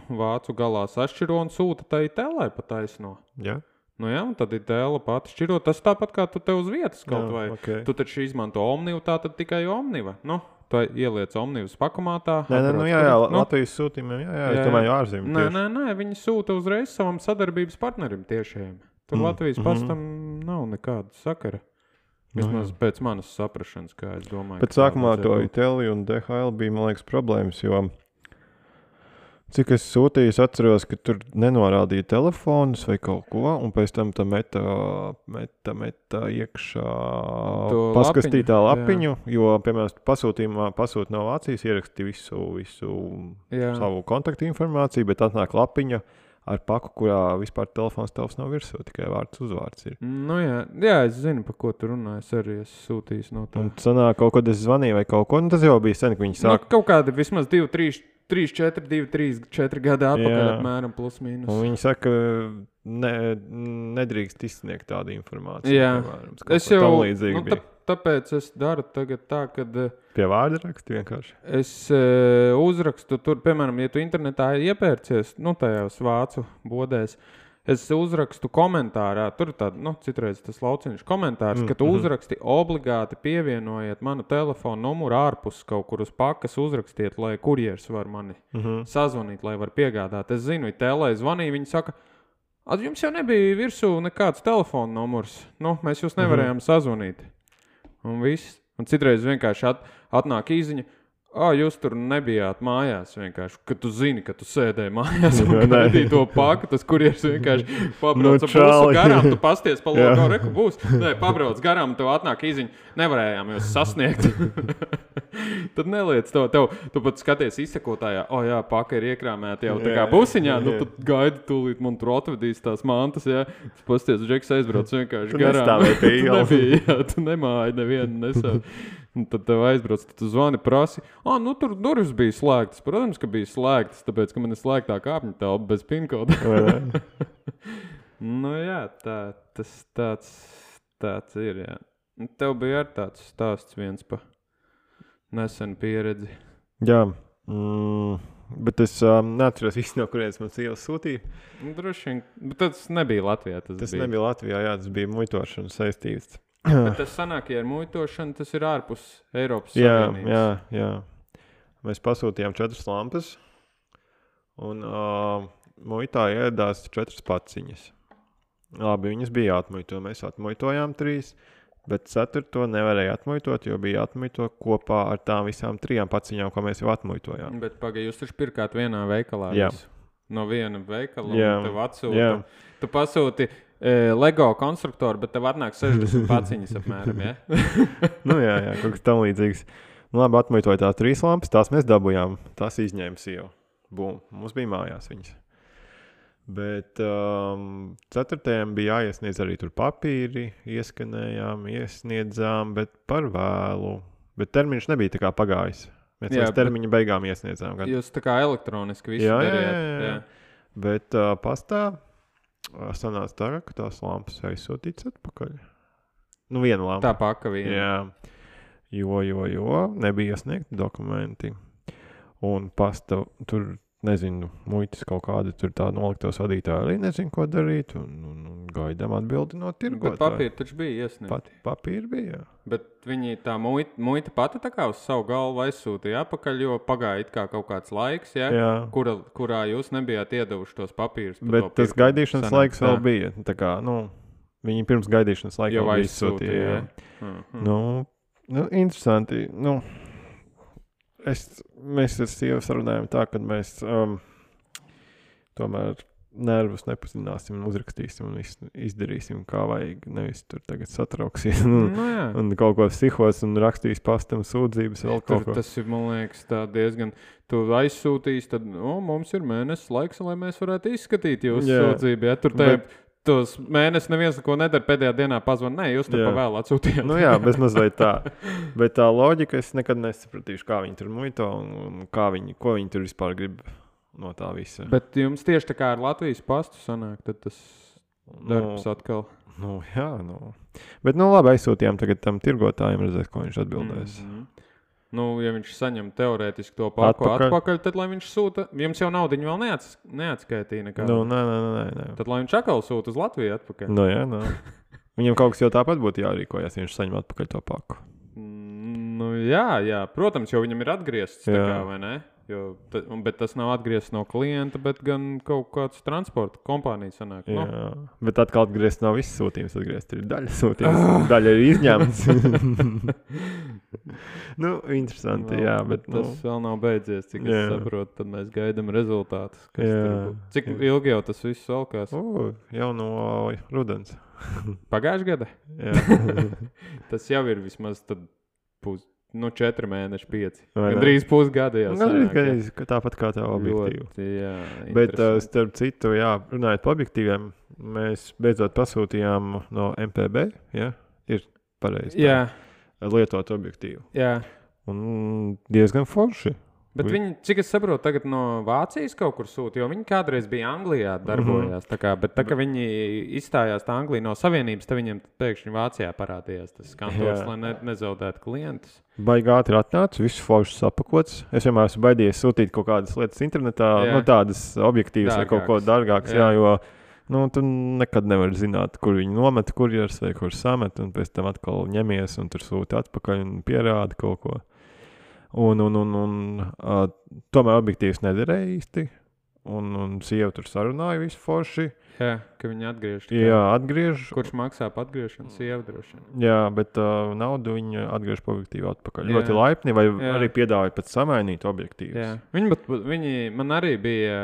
vācu galā sašķiro un sūta tai Itelai pa taisno. Jā. Nu jā, un tad Itela pati šķiro. Tas tāpat kā tu te uz vietas kaut Jā, vai. okay. Tu taču izmanto Omnivu, tā tad tikai Omniva. Nu, tu ieliec Omnivas pakamātā. Nē, nē, nu jā, jā, nu, Latvijas sūtījumiem, jā, jā, jā, es domāju ārzemju nē, tieši. nē, nē, viņi sūta uzreiz savam sadarbības partnerim tiešiem. Tur Mm, Latvijas mhm. pastam nav nekāda sakara. Vismaz Nu, jā. pēc manas saprašanas, kā es domāju. Bet ka tā sākumā to vajadzētu būt. Iteli un D H L bija, man liekas, problēmas, jo cik es sūtīju, es atceros, ka tur nenorādīja telefonus vai kaut ko, un pēc tam tā meta, meta, meta iekšā To paskastītā lapiņu, lapiņu, jo, piemēram, pasūtījumā pasūta no Vācijas, ierakstīja visu, visu Jā. savu kontaktu informāciju, bet atnāk lapiņa ar paku, kurā vispār telefons tevs nav virsū, tikai vārds uzvārds ir. Nu jā, jā, es zinu, par ko tu runā. Es arī esmu sūtījis no tā. Un sanāk, kaut kad es zvanīju vai kaut ko, un tas jau bija sen, ka viņi Nu, sāk. kaut kādi vismaz divi, trīs, trīs, četri, divi, trīs, četri gadi atpakaļ Jā. apmēram plus mīnus. Un viņi saka, ne, nedrīkst izsniegt tādu informāciju. Jā. Piemēram, kaut Es ko jau, tam līdzīgi nu, bija. tā, tāpēc es daru tagad tā, kad eh, Pie vārda raksta vienkārši. es e, uzrakstu tur, piemēram, ja tu internetā iepērcies, nu, tajās vācu bodēs, es uzrakstu komentārā, tur tāda, nu, citreiz tas lauciņš komentārs, Mm, ka tu mhm. uzraksti obligāti pievienojiet manu telefonu numuru ārpus kaut kur uz pakas, uzrakstiet, lai kurjers var mani Mhm. sazvanīt, lai var piegādāt. Es zinu, Itēlai zvanīja, viņi saka, "A, jums jau nebija virsū nekāds telefona numurs, nu, mēs jūs nevarējām sazvanīt. Un viss. Un citreiz vienkārši at, atnāk īziņa, "Ā, jūs tur nebijāt mājās vienkārši, kad tu zini, ka tu sēdēji mājās un Jā, nē. gaidīji to paku, tas kurjers vienkārši pabrauc Nu, ar busu čali. garām, tu pasties pa Jā. logo, reku būs. Nē, pabrauc garām, tev atnāk īziņa, nevarējām jūs sasniegt. Tad neliec to, tev, tu pat skaties izsekotājā, o jā, paka ir iekrāmēta jau tā kā Jā, busiņā, nu jā. tad gaidi tūlīt, man tur atvedīs tās mantas, jā. Tu pasties, Džeks aizbrauc vienkārši Tu garām. nestāvēji pie Tu ielas. nebija, jā, tu nemāji nevienu nesāvi. Un tad tev aizbrauc, tad tu zvani prasi, ah, nu tur durvis bija slēgtas. Protams, ka bija slēgtas, tāpēc, ka man ir slēgtā kāpņu telpa bez pinkoda. Vai ne? Nu jā, tā, tas tāds, tāds ir, jā. Un tev bija arī tāds stāsts viens pa nesenu pieredzi. Jā, mm, bet es um, neatceros īsti, no kurienes man sievas sūtīja. Nu, droši vien, bet tas nebija Latvijā. Tas, Tas bija. nebija Latvijā, jā, tas bija muitošana saistīts. Bet tas sanāk, ja ar muitošanu, tas ir ārpus Eiropas Jā, Savienības. jā, jā. Mēs pasūtījām četras lampas, un uh, muitā ieradās četras paciņas. Labi, viņas bija jāatmuito, mēs atmuitojām trīs, bet ceturto nevarēja atmuitot, jo bija jāatmuito kopā ar tām visām trijām paciņām, ko mēs jau atmuitojām. Bet pagaidi, jūs taču pirkāt vienā veikalā. Jā. Visu. No viena veikala, Jā, un tev atsūta. jā. Tu pasūti e, Lego konstruktoru, bet tev atnāk sešdesmit paciņas apmēram, ja? Nu jā, jā, kaut kas tam līdzīgs. Nu labi, atmuitoja tās trīs lampas, tās mēs dabujām, tās izņēma sieva. Bum, mums bija mājās viņas. Bet um, ceturtajam bija jāiesniedz arī tur papīri, ieskanējām, iesniedzām, bet par vēlu. Bet termiņš nebija tā kā pagājis. Mēs Jā, līdz termiņa beigām iesniedzām. Gan. Jūs tā kā elektroniski visu Jā, jā, darījāt. jā, jā. Bet uh, pastā uh, sanāca tā, ka tās lampas aizsūtīts atpakaļ. Nu, viena lampa. Tā paka viena. Jā, jo, jo, jo nebija iesniegti dokumenti. Un pasta tur, nezinu, muitas kaut kāda tur tā noliktos vadītāji arī nezinu, ko darīt. Un, un, un gaidām atbildi no Bet tirgotāja. papīri taču bija iesniegti. Pat, papīri bija, jā. Bet viņi tā muita, muita pati tā kā uz savu galvu aizsūtīja atpakaļ, jo pagāja it kā kaut kāds laiks, ja? jā. Kura, kurā jūs nebijāt iedevuši tos papīrus. par Bet to tas pirkumu. gaidīšanas Sanāk, laiks vēl tā. bija. Tā kā, nu, viņi pirms gaidīšanas laika Jau vēl bija aizsūtīja, izsūtīja. jā. Jā. Mhm. Nu, nu, interesanti. Nu, es, mēs ar sievu sarunājam tā, ka mēs um, tomēr nervus nepazināsim un uzrakstīsim un visu izdarīsim kā vajag. Nevis tur tagad satrauksies un, Nu, jā. un kaut ko psihos un rakstīs pastam sūdzības vēl Tur, kaut ko. tas ir, man liekas, tā diezgan. Tu aizsūtīs, tad o, mums ir mēnesis laiks, lai mēs varētu izskatīt jūsu Jā. sūdzību. Ja? Tur te, Bet- tos mēnesis neviens neko nedara, pēdējā dienā pazvan. Nē, jūs tur Jā. pa vēl atsūtījāt. Nu jā, bez mazliet tā. Bet tā loģika es nekad nesapratīšu, kā viņi tur muito un, un kā viņi, ko viņi tur vispār grib. no tā visa. Bet jums tieši tā kā ar Latvijas pastu sanāk, tad tas darbs Nu, atkal. Nu, jā, nu. Bet, nu, labi, aizsūtījām tagad tam tirgotājiem, redzēs, ko viņš atbildēs. Mhm. Nu, ja viņš saņem teorētiski to paku atpakaļ, atpakaļ tad, lai viņš sūta, jums jau naudiņu vēl neats, neatskaitīja nekā. Nu, nē, nē, nē, nē. Tad, lai viņš atkal sūta uz Latviju atpakaļ. Nu, jā, nu. Viņam kaut kas jau tāpat būtu jārīkojas, ja viņš saņem atpakaļ to paku. Nu, jā, jā, protams, jo viņam ir atgriezts, tā kā, vai ne? Jo, ta, bet tas nav atgriezts no klienta, bet gan kaut kāds transporta kompānija sanāk. Jā, no? bet atkal atgriezt nav viss sūtījums, atgriezt ir daļa sūtījums, ah. daļa ir izņemts. Nu, interesanti, no, jā, bet... bet tas nu... vēl nav beidzies, cik jā. Es saprotu, tad mēs gaidam rezultātus. Cik jā. ilgi jau tas viss valkās? O, jau no rudens. Pagājušajā gadā? Jā. Tas jau ir vismaz tad pus... Nu, četri mēneši, pieci. Gandrīz pusgada jau sanāk. Gandrīz, tāpat kā tev objektīvu. Ļoti, jā, bet, uh, starp citu, jā, runājot par objektīviem, mēs beidzot pasūtījām no M P B, jā, ir pareizi. Jā. Lietot objektīvu. Jā. Un diezgan forši. Bet viņi, cik es saprotu, tagad no Vācijas kaut kur sūta, jo viņi kādreiz bija Anglijā darbojās. Mm-hmm. Tā kā, bet tā, ka viņi izstājās tā Anglija no Savienības, tad viņiem pēkšņi Vācijā parādījās tas kantors, lai ne, nezaudētu klientus. Baigāti ir atnācis, viss foršs sapakots. Es vienmēr esmu baidījies sūtīt kaut kādas lietas internetā, jā. Nu tādas objektīvas vai kaut ko dārgākas, jā. Jā, jo nu, tu nekad nevari zināt, kur viņi nomet kurjers vai kur samet, un pēc tam atkal ņemies un tur sūti atpakaļ un pierādi kaut ko. Un, un, un, un uh, tomēr objektīvs nederēja īsti. Un, un sieva tur sarunāja visu forši. Jā, ka viņi atgriež. Jā, atgriež. Kurš maksā par atgriešanu? Sieva droši. Jā, bet uh, naudu viņa atgriež pa objektīvu atpakaļ. Jā. Ļoti laipni, vai jā. Arī piedāvāja pat samainīt objektīvus. Jā, viņi, bet, viņi man arī bija,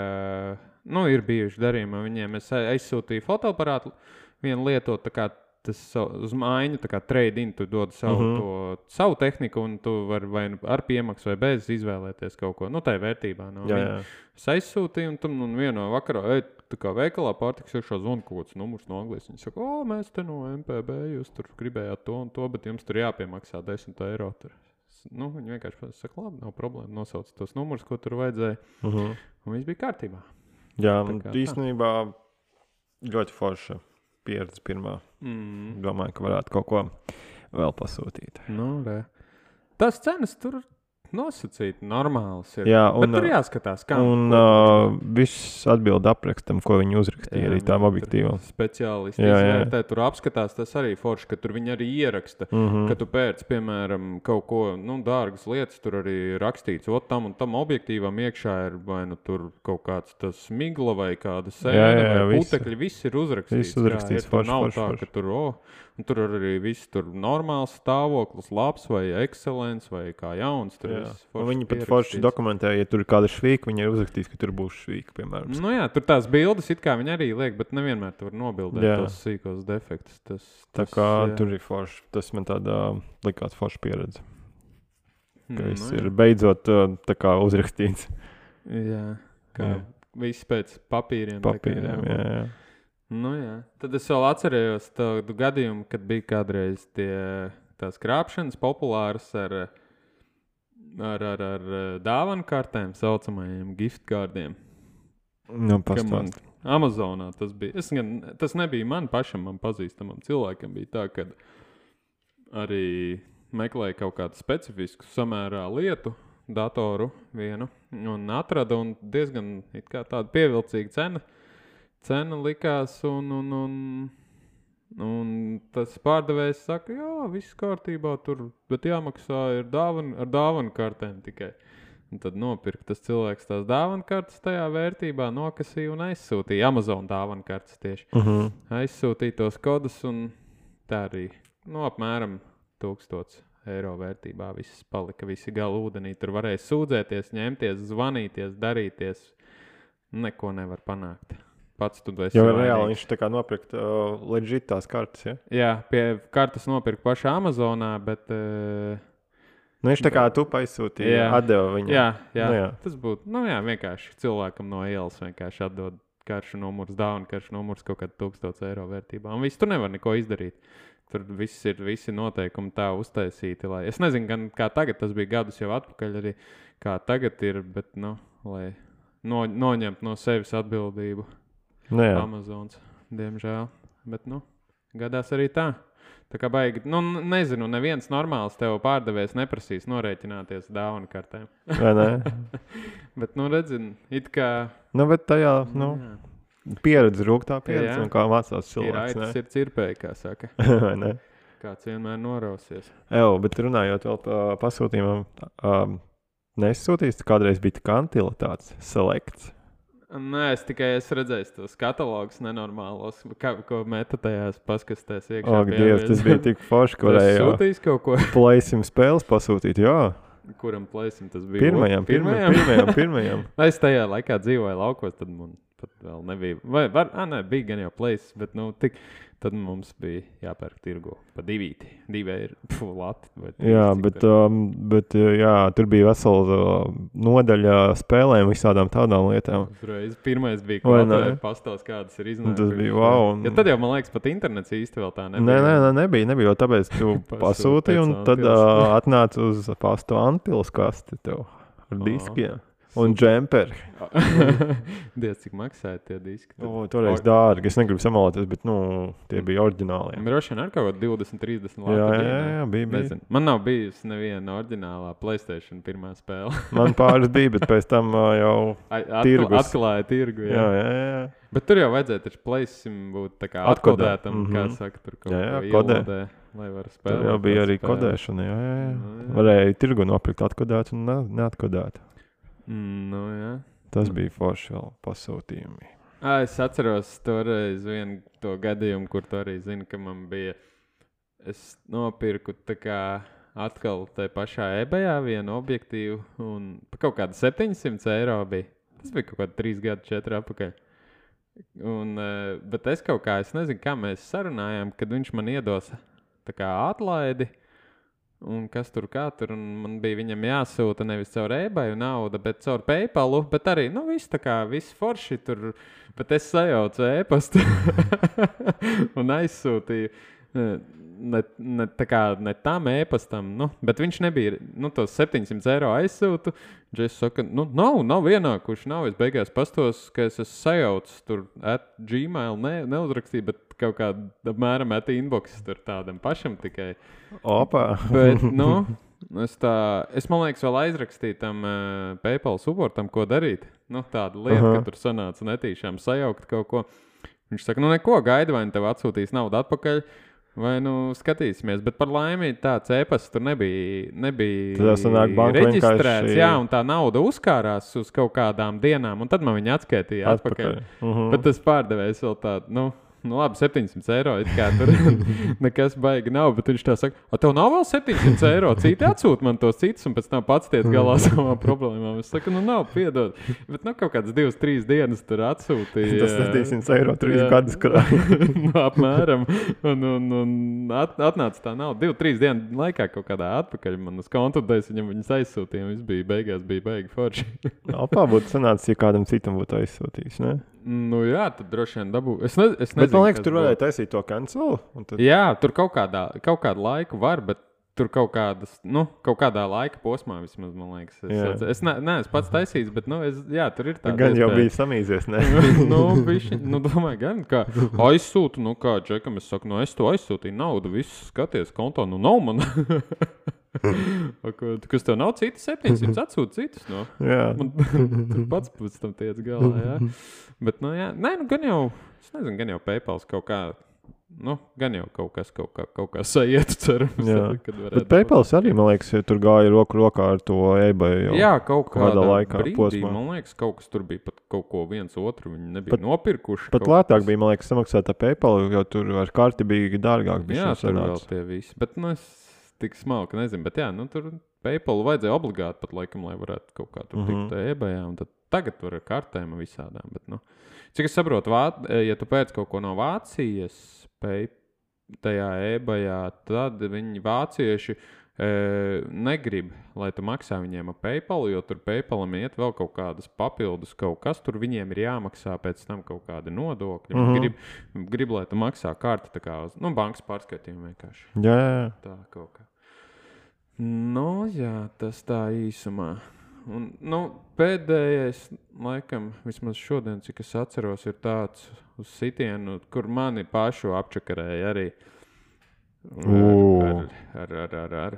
nu, ir bijuši darījumi. Viņiem es aizsūtīju fotoaparātu vienu lietot, tā kā tas uz mājiņu, tā kā trade-in, tu dod savu, uh-huh. to, savu tehniku, un tu vari vai ar piemaksu vai bez izvēlēties kaut ko. Nu, tā ir vērtībā. No jā, jā. Es aizsūtīju, un tam un vienā vakarā, ej, tā kā veikalā pārtiks iekšā zvana kaut kāds numurs no Anglijas. Viņi saka, o, mēs te no M P B, jūs tur gribējāt to un to, bet jums tur jāpiemaksā desmit eiro. Tur. Nu, viņi vienkārši saka, labi, nav problēma, nosauc tos numurus, ko tur vajadzēja. Uh-huh. Un viss bija kārtībā. Jā, īstenībā ļoti forša pieredze pirmā. Mm. Domāju, ka varētu kaut ko vēl pasūtīt. Nu, re. Tas cenas tur nosacīti normāls ir. Jā, un, bet tur jāskatās, kā. Un uh, viss atbild aprakstam, ko viņi uzrakstīja jā, arī tām objektīvām. Speciālisti izvērtē, tur apskatās, tas arī forši, ka tur viņi arī ieraksta, mm-hmm. ka tu pēc, piemēram, kaut ko, nu, dārgas lietas, tur arī rakstīts, ot tam un tam objektīvam iekšā ir vai nu tur kaut kāds tas migla vai kāda sēna vai putekļi, viss ir uzrakstīts. Viss uzrakstīts, jā, forši, nav forši, tā, forši. ka tur, o, un tur arī viss tur normāls stāvoklis, labs vai ekscelents vai kā jauns. Tur viņi pat forši dokumentēja, ja tur ir kāda švīka, viņi ir uzrakstījis, ka tur būs švīka, piemēram. Nu jā, tur tās bildes it kā viņi arī liek, bet nevienmēr tu var nobildēt jā. Tos sīkos defektus. Tas, tas, tā kā jā. Tur ir forši, tas man tāda likās forša pieredze. Ka mm, viss nu, ir beidzot tā kā uzrakstīts. Jā, kā jā. Viss pēc papīriem. Papīriem, kā, jā, jā. Nu jā, tad es vēl atcerējos tādu gadījumu, kad bija kādreiz tie, tās krāpšanas populāras ar, ar, ar, ar dāvanu kartēm, saucamajiem gift cardiem. Nu, pastāst. Amazonā tas bija. Es gan, tas nebija man pašam, man pazīstamam cilvēkam bija tā, kad arī meklēja kaut kādu specifisku samērā lietu, datoru vienu, un atrada un diezgan it kā tāda pievilcīga cena. Cena likās, un, un, un, un tas pārdevējs saka, jā, viss kārtībā tur, bet jāmaksā ir dāvan, ar dāvanu kartēm tikai. Un tad nopirka tas cilvēks tās dāvanu kartes tajā vērtībā, nokasīja un aizsūtīja. Amazon dāvanu kartes tieši. Uh-huh. Aizsūtīja tos kodus, un tā arī, nu, apmēram tūkstots eiro vērtībā viss palika, visi gali ūdenī. Tur varēja sūdzēties, ņemties, zvanīties, darīties. Neko nevar panākt. Pats tu esi jo reāli viņš tā kā nopirkt uh, legit tās kartes, ja? Jā, pie kartes nopirkt pašā Amazonā, bet... Uh, nu, viņš tā kā tu aizsūtīja, atdeva viņam. Jā, jā, nu, jā. Tas būtu, nu jā, vienkārši cilvēkam no ielas vienkārši atdod karšu numurs, dāvanu karšu numurs kaut kādu tūkstots eiro vērtībā. Un viss, tu nevar neko izdarīt. Tur viss ir, visi noteikumi tā uztaisīti, lai... Es nezinu, gan kā tagad, tas bija gadus jau atpakaļ arī, kā tagad ir, bet, nu, lai... no, noņemt no sevis atbildību. Nu, jā. Amazons, diemžēl. Bet, nu, gadās arī tā. Tā kā baigi, nu, nezinu, neviens normāls tev pārdevējs neprasīs norēķināties dāvanu kartēm. Vai ne? Bet, nu, redzin, it kā... Nu, bet tajā, nu, pieredze, rūgtā pieredze, Jā. un kā mācās cilvēks, Ir aitas, ne? ir cirpēji, kā saka. Vai ne? Kāds vienmēr norausies. Evo, bet runājot vēl par pasūtījumam, um, nesūtīs, kādreiz bija tā kantilitātes selekts. Nē, es tikai esmu redzējis tos katalogus nenormālos, kā, ko meta tajās paskastēs iekšā. Ak, Dievs, tas bija tik forši, ka varēja sūtīs kaut ko. plaisim spēles pasūtīt, jā. Kuram plaisim tas bija? Pirmajam, pirmajam, pirmajam, pirmajam. Es tajā laikā dzīvoju laukos, tad man pat vēl nebija. Vai, var, ā, nē, bija gan jau plaisis, bet, nu, tik, tad mums bija jāpērk tirgu pa divīti. Divē ir, pfu, lati. Jā, bet, um, bet, jā, tur bija vesela uh, nodaļa spēlēm, visādām tādām lietām. Uzreiz pirmais bija, Vai ko ne? atvērt pastāst, kādas ir iznākušas. Tas bija wow. Un... Ja tad jau, man liekas, pat internets īsti vēl tā nebija. Nē, nē, nē, nebija, nebija, jo tāpēc tu pasūtīji, un tad uh, atnāc uz pastu Antpils kasti tev ar diskiem. Un džemperi. Diez, cik maksāja tie diski. O, toreiz dārgi, es negribu samaloties, bet, nu, tie bija oriģinālie. Droši vien ar kaut ko divdesmit, trīsdesmit lati. Jā, jā, jā, bija, bija. Nezinu. Man nav bijusi neviena oriģinālā PlayStation pirmā spēle. Man pāris bija, bet pēc tam uh, jau Atkla, tirgus. atklāja tirgu. Jā, Jā, jā, jā. Bet tur jau vajadzēja taču PlayStation būt tā kā Atkodē. atkodētam, Mhm. kā saka, tur kaut Jā, jā, ko kodē. ielodē, lai var spēlēt. Tur jau bija tās arī spēles. kodēšana, jā, jā, jā. Nu, jā. Varēja tirgu nopirkt atkodēt un ne, neatkodēt. Mm, nu, jā. Tas bija forši vēl pasūtījumi. Ā, es atceros toreiz vienu to gadījumu, kur tu arī zini, ka man bija, es nopirku tā kā atkal tai pašā eBayā vienu objektīvu un pa kaut kādu septiņsimt eiro bija. Tas bija kaut kādi trīs gadi, četri apakaļ. Un, eh, bet es kaut kā, es nezinu, kā mēs sarunājām, kad viņš man iedos tā kā atlaidi. Un kas tur kā tur, un man bija viņam jāsūta nevis caur eBayu nauda, bet caur PayPalu, bet arī, nu, viss tā kā, viss forši tur, bet es sajaucu e-pastu un aizsūtīju, ne, ne, tā kā, ne tam e-pastam, nu, bet viņš nebija, nu, tos septiņsimt eiro aizsūtu, Džes saka, nu, nav, nav vienākuši, nav, es beigās pastos, ka es esmu sajaucis tur at Gmail, ne, neuzrakstīju, bet kaut kāda apmēram at inbox tur tādam pašam tikai. Opa! Bet, nu, es tā, es man liekas vēl aizrakstīju tam uh, PayPal supportam, ko darīt. Nu, tāda lieta, Aha. ka tur sanāca netīšām sajaukt kaut ko. Viņš saka, nu neko, gaidi, vai nu tev atsūtīs naudu atpakaļ, vai nu skatīsimies. Bet par laimi tāds e-pasts tur nebija, nebija Tad sanāk banka reģistrēts. vienkārši- Jā, un tā nauda uzkārās uz kaut kādām dienām, un tad man viņa atskaitīja atpakaļ. Atpakaļ. Mhm. Bet tas pārdevējs vēl tādu, nu, nu labi, septiņsimt eiro, it kā tur nekas baigi nav, bet viņš tā saka, a tev nav vēl septiņsimt eiro, citi atsūt man tos citus, un pēc tam pats tiec galā savām problēmām. Es saku, nu nav, piedod, bet nu kaut kādas divas, trīs dienas tur atsūtīja. Tas septiņsimt eiro trīs Jā. gadus krāja. Nu, apmēram, un, un, un at, atnāca tā nauda, divu, trīs dienu laikā kaut kādā atpakaļ man uz kontu, un es viņam viņas aizsūtīju, un viss bija beigās, bija baigi forši. Opā būtu sanācis, ja kādam citam būtu aizsūtījis, ne? Nu jā, tad droši vien dabū. Es, ne, es nezinu, Bet man liekas, kas tur būtu. varēja taisīt to cancel. un Tad... Jā, tur kaut kādā, kaut kādu laiku var, bet tur kaut kādas, nu, kaut kādā laika posmā vismaz, man liekas. Es, Jā. es, es ne, neesmu pats taisījis, bet, nu, es, jā, tur ir tāda Gan jau iespēja. bija samīzies, ne? nu, bišķi, nu, domāju, gan, kā aizsūtu, nu, kā Džekam, es saku, nu, es to aizsūtīju naudu, viss skaties kontā, nu, nav man. Ko- Kas tev nav citi septiņsimt, atsūta citus, no? Jā. Man tur pats pēc tam tiec galā, jā. Bet, nu, jā, nē, nu, gan jau, es nezinu, gan jau PayPals kaut kā, nu, gan jau kaut kas, kaut kā, kaut kā sajietu, cerams, Jā. kad varētu. Bet PayPals arī, man liekas, ja tur gāja roku rokā ar to eBay. Jau. Jā, kaut kādā kādā laikā, brīdī, posmā. man liekas, kaut kas tur bija pat kaut ko viens otru, viņi nebija Pat- nopirkuši. Pat kaut lētāk kas. bija, man liekas, samaksāt ar PayPal, jo tur ar karti bija dārgāk. Jā, bišķiņ tur vēl sanāca. tie visi, bet, nu, es tik smalki nezinu, bet jā, nu, tur PayPal vajadzēja obligāti pat laikam, lai varētu kaut kā tur Mhm. tikt eBayā, un tad tagad tur ar kartēm un visādām, bet, nu, cik es saprotu, Vā... ja tu pēc kaut ko no Vācijas pay... tajā eBayā, tad viņi vācieši e, negrib, lai tu maksā viņiem ar PayPal, jo tur PayPalam iet vēl kaut kādas papildus kaut kas, tur viņiem ir jāmaksā pēc tam kaut kādi nodokļi. Mhm. Mm-hmm. grib, grib, lai tu maksā karti tā kā uz, nu, bankas pārskaitījumu vienkārši. Jā, jā, jā. Tā kaut kā. Nu, jā, tas tā īsumā. un, nu, pēdējais, laikam, vismaz šodien, cik es atceros, ir tāds uz sitienu, kur mani pašu apčakarēja arī ar, ar, ar, ar, ar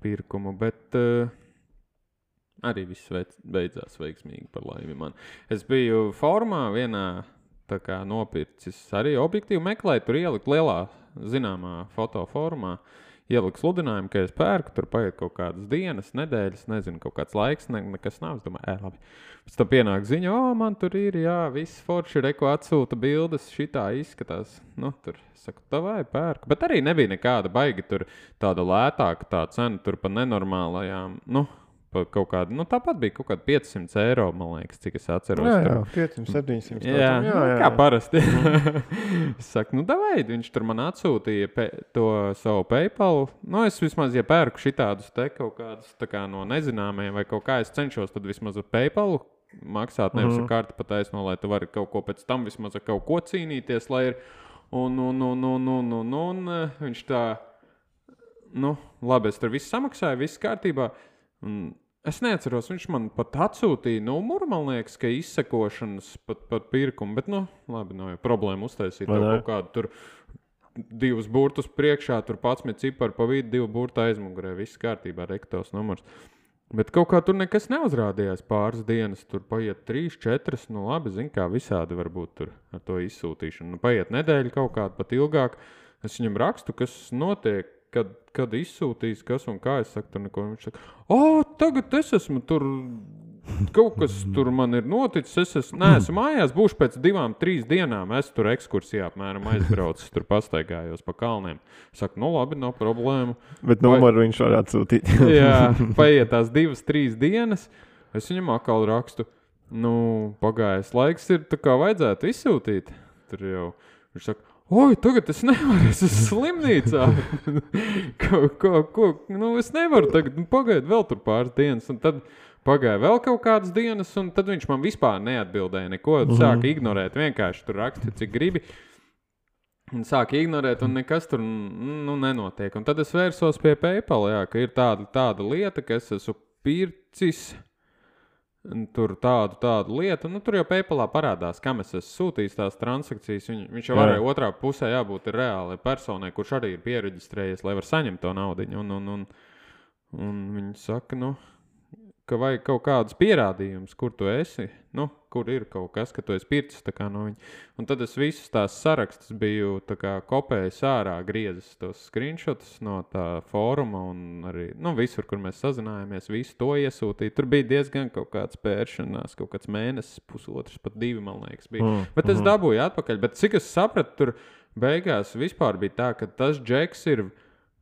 pirkumu, bet uh, arī viss beidzās veiksmīgi par laimi man. Es biju formā vienā, tā kā nopircis arī objektīvu meklēt, tur ielikt lielā zināmā fotoformā, ielikt sludinājumu, ka es pērku, tur paiet kaut kādas dienas, nedēļas, nezinu, kaut kāds laiks, ne, nekas nav, es domāju, ē, labi. Pēc tam pienāk ziņa, o, man tur ir, jā, viss forši, reko atsūta bildes, šitā izskatās, nu, tur, saku, tā vai pērku, bet arī nebija nekāda baigi, tur tāda lētāka tā cena, tur pa nenormālajām, nu, kaut kāda, nu tāpat bija kaut kāda piecsimt eiro, man liekas, cik es atceros. Jā, jā, piecsimt, septiņsimt. Jā, jā, jā, jā. Kā parasti. Es saku, nu davai, viņš tur man atsūtīja pe, to savu PayPal. Nu, es vismaz, ja pērku šitādus te kaut kādus tā kā no nezināmiem vai kaut kā es cenšos, tad vismaz ar PayPal maksāt, nevis mm-hmm. ar karti pataisno, lai tu vari kaut ko pēc tam vismaz ar kaut ko cīnīties, lai ir un, un, un, un, un, un, un, viņš tā, nu, labi, es tur visu samaksāju, viss kārtībā. Un es neatceros, viņš man pat atsūtīja numuru, man liekas, ka izsekošanas pat, pat pirkumu, bet, nu, labi, nav jau problēma uztaisīt kaut kādu tur divus burtus priekšā, tur padsmit cipari pa vidu, divu burtu aizmugurē, viss kārtībā, rektos numurs. Bet kaut kā tur nekas neuzrādījās pāris dienas, tur paiet trīs, četras, nu labi, zin kā visādi varbūt tur ar to izsūtīšanu. Nu, paiet nedēļa kaut kāda pat ilgāk, es viņam rakstu, kas notiek, Kad, kad izsūtīs, kas un kā, es saku tur neko, viņš saka, o, tagad es esmu tur, kaut kas tur man ir noticis, es esmu, neesmu mājās, būšu pēc divām, trīs dienām, es tur ekskursijā apmēram aizbraucis, tur pastaigājos pa kalniem. Saku, nu labi, nav problēmu. Bet numuru viņš var atsūtīt. Jā, paiet tās divas, trīs dienas, es viņam atkal rakstu, nu, pagājis laiks ir, tā kā vajadzētu izsūtīt. Tur jau, viņš saka, oi, tagad es nevaru, es esmu slimnīcā. ko, ko, ko, nu, es nevaru tagad, nu, pagaid vēl tur pāris dienas, un tad pagāja vēl kaut kādas dienas, un tad viņš man vispār neatbildēja neko, mm-hmm. sāka ignorēt, vienkārši tur raksta, cik gribi, un sāka ignorēt, un nekas tur, nu, nenotiek. Un tad es vērsos pie PayPal, jā, ka ir tāda, tāda lieta, ka es esmu pircis, tur tādu, tādu lietu, nu tur jau PayPalā parādās, kam es esmu sūtījis tās transakcijas, Viņ, viņš jau varēja otrā pusē jābūt ir reāli personai, kurš arī ir piereģistrējies, lai var saņemt to naudiņu, un, un, un, un viņi saka, nu, ka vajag kaut kādus pierādījumus, kur tu esi, nu, kur ir kaut kas, ka tu esi pircis tā kā no viņa. Un tad es visus tās sarakstus biju tā kā kopējis ārā, griezis tos screenshotus no tā fóruma un arī, nu, visur, kur mēs sazinājāmies, visu to iesūtīju. Tur bija diezgan kaut kāds pēršanās, kaut kāds mēnesis, pusotrs, pat divi, man liekas, bija. Mm, bet es mm. dabūju atpakaļ, bet cik es sapratu, tur beigās vispār bija tā, ka tas džeks ir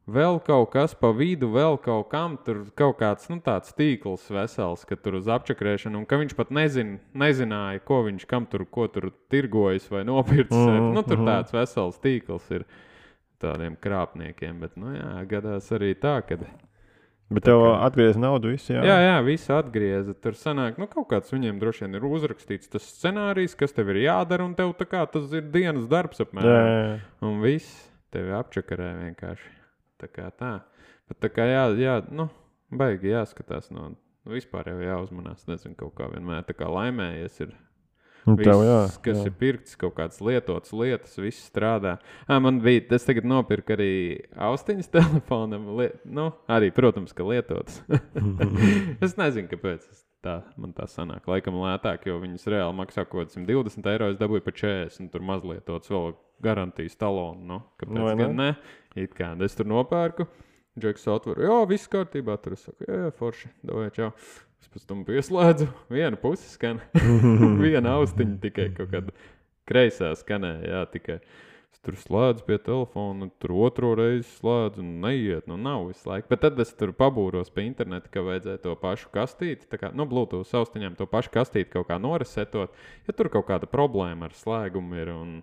vēl kaut kas pa vidu, vēl kaut kam, tur kaut kāds, nu, tāds tīkls vesels, ka tur uz apčakrēšanu, un ka viņš pat nezin, nezināja, ko viņš, kam tur, ko tur tirgojas vai nopircis. Mm, nu, tur mm. tāds vesels tīkls ir tādiem krāpniekiem, bet, nu, jā, gadās arī tā, kad... Bet tev kā... atgriez naudu visu, jā? Jā, jā, visu atgrieza. Tur sanāk, nu, kaut kāds viņiem droši vien ir uzrakstīts tas scenārijs, kas tev ir jādara, un tev tā kā tas ir dienas darbs apmēram. Jā, jā, jā. Un viss tevi apčakarē vienkārši. Tā kā tā. Bet tā kā jā, jā, nu, baigi jāskatās no, nu, vispār jau jāuzmanās, nezinu, kaut kā vienmēr tā kā laimējies ir viss, tev, jā, kas jā. Ir pirkts, kaut kāds lietotas lietas, viss strādā. Ā, man bija, es tagad nopirku arī austiņas telefonam, li, nu, arī, protams, ka lietotas. Es nezinu, kāpēc tā, man tā sanāk, laikam lētāk, jo viņas reāli maksā kaut simt divdesmit eiro, es dabūju pa četrdesmit, un tur mazlietotas vēl garantijas talonu, nu, kāpēc no, gan ne? It kā, es tur nopērku, Džeks atveru, jā, viss kārtībā, tur es saku, jā, jā, forši, davai, čau. Es pēc tam pieslēdzu, viena pusi skan, viena austiņa tikai kaut kāda kreisā skanē, jā, tikai. Es tur slēdzu pie telefona, tur otro reizi slēdzu un neiet, nu nav visu laiku. Bet tad es tur pabūros pie interneta, ka vajadzēja to pašu kastīti, tā kā, nu, Bluetooth austiņām to pašu kastīti kaut kā noresetot, ja tur kaut kāda problēma ar slēgumu ir un,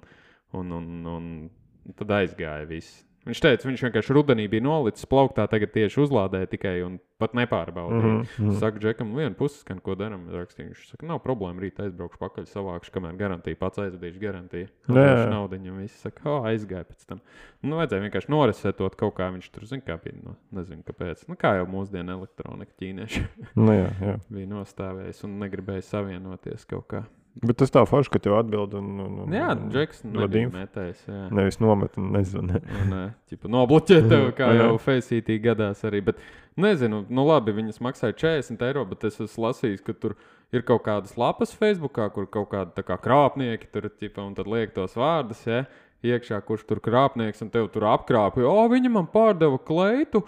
un, un, un tad aizgāja viss. Viņš teica, viņš vienkārši rudenī bija nolicis plauktā, tagad tieši uzlādēja tikai un pat nepārbaudīja. Mm -hmm. Saka, Džekam, vienu pusi skan, ko daram. Rakstīju. Viņš saka, nav problēma, rīt aizbraukšu pakaļ savākšu, kamēr garantija pats aizvedīšu garantiju. Viņš naudiņam visi saka, o, aizgāja pēc tam. Nu, vajadzēja vienkārši noresetot kaut kā, viņš tur, zin, kā bija, no, nezinu, kāpēc. Nu, kā jau mūsdienu elektronika ķīnieši. Nu, jā, jā. Bija nostāvējis un negribēja savienoties kaut kā. Bet tas tā forši, ka tev atbild un... un, un jā, Džeks nebija metējis, jā. Nevis nomet un nezvani. Un, ķipa, nobloķē tev, kā jau Faceitī gadās arī. Bet, nezinu, nu labi, viņas maksāja četrdesmit eiro, bet es esmu lasījis, ka tur ir kaut kādas lapas Facebookā, kur kaut kādi tā kā krāpnieki tur, ķipa, un tad liek tos vārdus, ja, iekšā, kurš tur krāpnieks, un tev tur apkrāpja. O, viņa man pārdeva kleitu